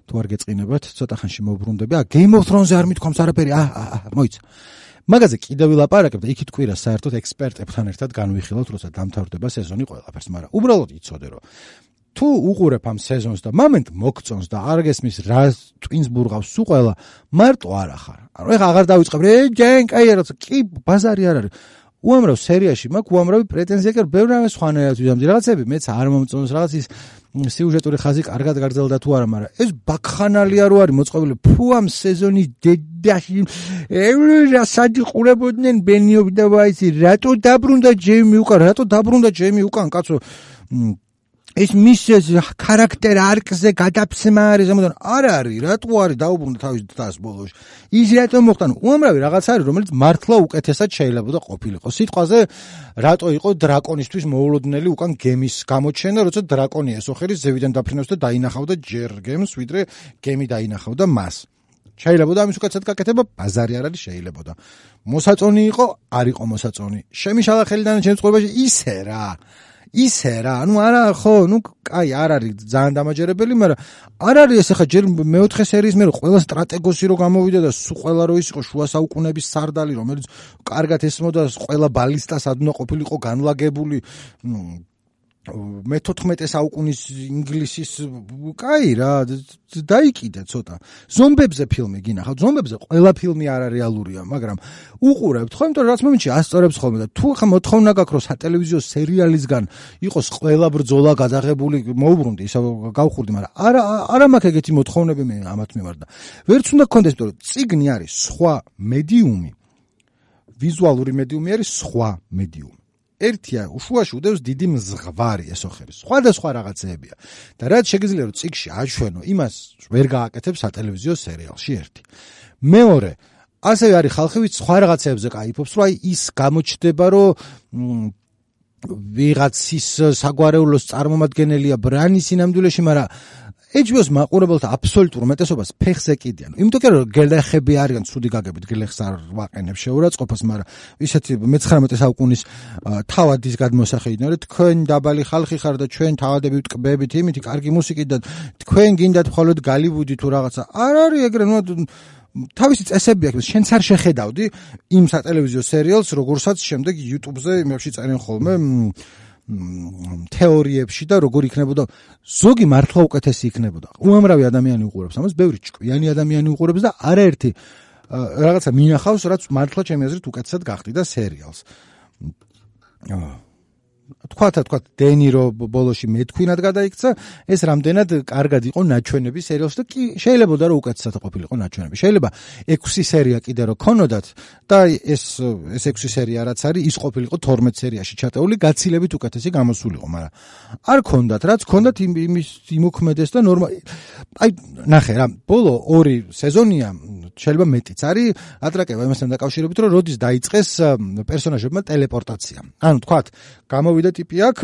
Speaker 1: თუ არ გეწყინებათ, ცოტა ხანში მოვბრუნდები. Game of Thrones-ზე არ მithქვამს არაფერი. მოიცა. მაგაზე კიდევ ვილაპარაკებ და იქით კვირას საერთოდ ექსპერტებთან ერთად განვიხილავთ, როცა დამთავრდება სეზონი ყველაფერს, მაგრამ უბრალოდ იცოდე, რომ თუ უყურებ ამ სეზონს და მომენტ მოგწონს და არ გესმის რა ტვინს ბურღავს სულ ყველა, მარტო არ ახარ. ანუ ეხა აღარ დავიწყებ, ჯენ კაი როცა კი ბაზარი არ არის. უამრავ სერიაში მაქვს უამრავი პრეტენზია, კი ბევრი რამე სხვანაირად ვიზამდი. რაღაცები მეც არ მომწონს, რაღაც ის სიუჟეტური ხაზი კარგად გაგრძელდა თუ არა, მაგრამ ეს ბაქხანალია რო არის მოწყობილი. ფუ ამ სეზონის დედაში რა საჯი ყურებოდნენ ბენიობი და ვაიცი, რატო დაბრუნდა ჯეიმი უკან, კაცო. ეს მის ქარაქტერ არკზე გადაფსმა არის ამოდან არ არის რატო არის დაუბრუნდა თავის დას ბოლოში ის რატო მოხდა უამრავი რაღაც არის რომელიც მართლა უკეთესად შეიძლება და ყოფილიყო სიტყვაზე რატო იყო დრაკონისთვის მოულოდნელი უკან გემის გამოჩენა როცა დრაკონი ესოხერის ზევიდან დაფრინავს და დაინახავდა ჯერ გემს ვიდრე გემი დაინახავდა მას შეიძლება და ამის უკეთესად გაკეთება ბაზარი არ არის შეიძლება მოსაწონი იყო არ იყო მოსაწონი შემიშალა ხელიდან ჩემს ცხოვრებაში ისე რა, ანუ არა ხო, ну კაი არ არის ძალიან დამაჯერებელი, მაგრამ არ არის ეს ახლა ჯერ მეოთხე სერიის მე ყველა სტრატეგოსი რო გამოვიდა და ყველა რო ის იყო შუა საუკუნეების სარდალი, რომელიც კარგად ესმოდა ყველა ბალისტას ადუნა ყოფილიყო განლაგებული მე-14 საუკუნის ინგლისის კაი რა დაიკიდე ცოტა ზომბებზე ფილმი გინახავთ ზომბებზე ყველა ფილმი არარეალურია მაგრამ უყურებთ ხო იმიტომ რომ რაც მომენტში ასწორებს ხოლმე და თუ ხა მოთხოვნა გაქვს რომ სატელევიზიო სერიალისგან იყოს ყველა ბრძოლა გადაღებული მოუბრუნდი ისა გავხურდი მაგრამ არა მაქვს ეგეთი მოთხოვნები მე ამათ მიმართ და ვერც უნდა გქონდეს იმიტომ რომ წიგნი არის სხვა მედიუმი ვიზუალური მედიუმი არის სხვა მედიუმი ერთია უშუაში უდევს დიდი მზღვარი ესოხერის სხვადასხვა რაღაცეებია და რაც შეგიძლია რომ წიგში აჩვენო იმას ვერ გააკეთებს სატელევიზიო სერიალში ერთი მეორე ასევე არის ხალხი ვიც სხვა რაღაცეებზე кайფობს რომ აი ის გამოჩნდება რომ ვიღაცის საგვარეულოს წარმომადგენელია ბრანის სინამდვილეში მაგრამ HBO-ს მაყურებელთა აბსოლუტურ უმეტესობას ფეხს ეკიდიან. იმიტომ რომ გელეხები არიან ცუდი გაგებით, გელეხს არ ვაყენებ შეურაცხყოფას, მაგრამ ისეთი მე-19 საუკუნის თავადის გადმოსახედიდან, რომ თქვენ დაბალი ხალხი ხარ და ჩვენ თავადები ვტკბებით იმითი კარგი მუსიკით და თქვენ გინდათ მხოლოდ გალივუდი თუ რაღაცა. არ არის ეგრე, ნუ თავისი წესები აქვს, შენც არ შეხედავდი იმ სატელევიზიო სერიალს, როგორცაც შემდეგ YouTube-ზე იმებში წერენ ხოლმე თეორიებში და როგორ იქნებოდა ზოგი მართლა უკეთესი იქნებოდა. უამრავი ადამიანი უყურებს ამას, ბევრი ჭკვიანი ადამიანი უყურებს და არაერთი რაღაცა მინახავს, რაც მართლა ჩემი აზრით უკეთესად გახდიდა სერიალს. თქვა დენირო ბოლოში მეთქვინად გადაიქცა, ეს რამდენად კარგად იყო ნაჩვენები სერიალს და კი შეიძლებოდა რომ უკეთესად ყოფილიყო ნაჩვენები. შეიძლება 6 სერია კიდე რო ქონოდათ და ეს 6 სერია რაც არის, ის ყოფილიყო 12 სერიაში ჩატეული, გაცილებით უკეთესი გამოსულიყო, მაგრამ არ ქონდათ, რაც ქონდათ იმის იმოქმედეს და ნორმალი. აი ნახე რა, ბოლო 2 სეზონია შეიძლება მეტიც არის ატრაკება იმასთან დაკავშირებით, რომ როდის დაიწყეს პერსონაჟებმა ტელეპორტაცია. ანუ თქვათ, გამოვიდა ტიპი აქ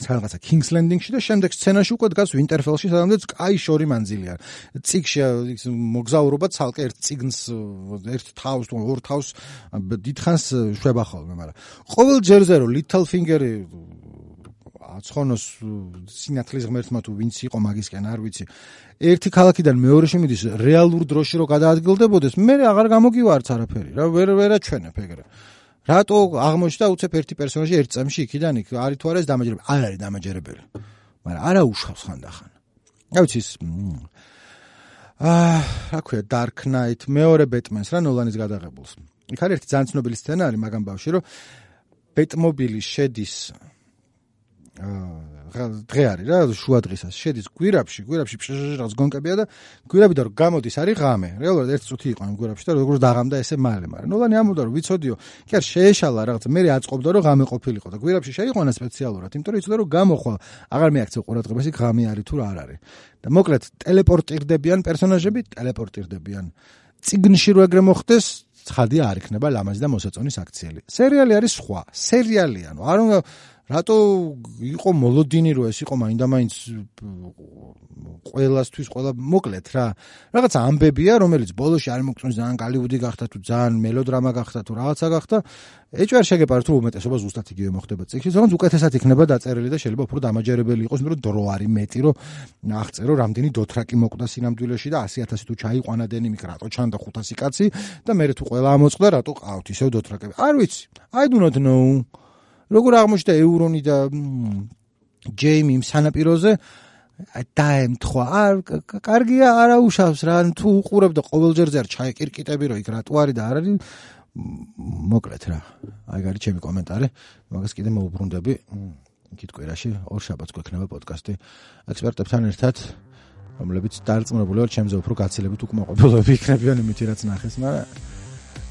Speaker 1: რაღაცა King's Landing-ში და შემდეგ სცენაში უკვე დგას Winterfell-ში, სადაც კაი შორი მანძილი არის. წიგში მოგზაურობა ცალკე ერთ წიგნს, ერთ თავს თუ ორ თავს დიდხანს შვება ხოლმე, მაგრამ ყოველ ჯერზე რომ Littlefinger-ი აცხონოს სინათლის ღმერთმა თუ ვინც იყო მაგისკენ არ ვიცი ერთი ქალაქიდან მეორეში მიდის რეალურ დროში რო გადაადგილდებოდეს მე აღარ გამოგივარც არაფერი რა ვერ აჩვენებ ეგრე რატო აღმოჩნდა უცებ ერთი პერსონაჟი ერთ წამში იქიდან იქ არის თუ არა ეს დამაჯერებელი არ არის დამაჯერებელი მაგრამ არა უშავს ხანდახან რა ვიცი რა ქვია Dark Knight მეორე Batman-ს რა ნოლანის გადაღებულს იქ არის ერთი ძალიან ცნობილი სცენა არის მაგამ ბავში რომ Batmobile შედის დღე არის რა შუა დღისას შედის გვირაბში რაღაც გონკებია და გვირაბიდან რომ გამოდის არის ღამე რეალურად ერთ წუთი იყო ამ გვირაბში და როგორც დაღამდა ესე მალე მაგრამ ნოლანი ამბობდა რომ ვიცოდიო კი არ შეეშალა რაღაც მე აწყობდა რომ ღამე ყოფილიყო და გვირაბში შეიყვანა სპეციალურად იმიტომ რომ იცოდა რომ გამოხვალ აღარ მიაქცევ ყურადღებას იქ ღამე არის თუ რა არ არის და მოკლედ ტელეპორტირდებიან პერსონაჟები ტელეპორტირდებიან წიგნში რო ეგრე მოხდეს ცხადია არ იქნება ლამაზი და მოსაწონის აქციელი სერიალი არის სხვა სერიალი ანუ არ უნდა რატო იყო მოლოდინი რომ ეს იყო მაინდა-მაინც ყველასთვის ყველა მოკლედ რა რაღაც ამბებია რომელიც ბოლოში არ მოგწონს ძალიან გალივუდი გახდა თუ ძალიან მელოდრამა გახდა თუ რაღაცა გახდა ეჭვი არ შეგეპაროთ რომ უმეტესობა ზუსტად იგივე მოხდება წიგნში თუმცა უკეთესად იქნება დაწერილი და შეიძლება უფრო დამაჯერებელი იყოს იმიტომ რომ დრო არის მეტი რომ აღწერო რამდენი დოთრაკი მოკვდა სინამდვილეში და 100,000 თუ ჩაიყვანა დენიმიკ რატო ჩანდა 500 კაცი და მე თუ ყველა ამოწყდა რატო ყავთ ისევ დოთრაკები არ ვიცი I do not know როგორ აღმოჩნდა ევრონი და ჯეიმი სანაპიროზე დაემთხვა არ კარგია არაუშავს რა თუ უყურებ და ყოველჯერზე არ ჩაეკირკიტები რომ იქ რატო არის და არ არის მოკლედ რა აი გარი ჩემი კომენტარი მაგას კიდე მოუბრუნდები იქით კვირაში ორ შაბათს გვექნება პოდკასტი ექსპერტებთან ერთად რომლებიც დარწმუნებული ვარ ჩემზე უფრო გაცილებით უკმაყოფილოები იქნებიან იმით რაც ნახეს მაგრამ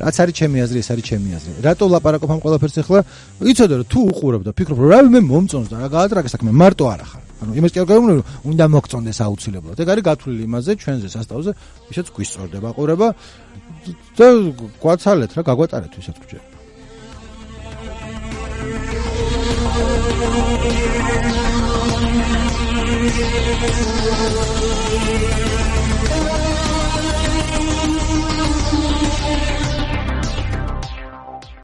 Speaker 1: რაც არის ჩემი აზრი ეს არის ჩემი აზრი რატო ვლაპარაკობ ამ ყველაფერს ახლა იცოდე რომ თუ უყურებ და ფიქრობ რომ რა მე მომწონს და რა გაატრაკე საქმე მარტო არ ახარ ანუ იმას კი არ გავიმეორე რომ უნდა მოგწონდეს აუცილებლად ეგ არის გათვლილი იმაზე ჩვენზე სასტავზე ვისაც გვისწორდება ყურება და გვაცალეთ რა გაგვატარეთ ვისაც გვჭირდება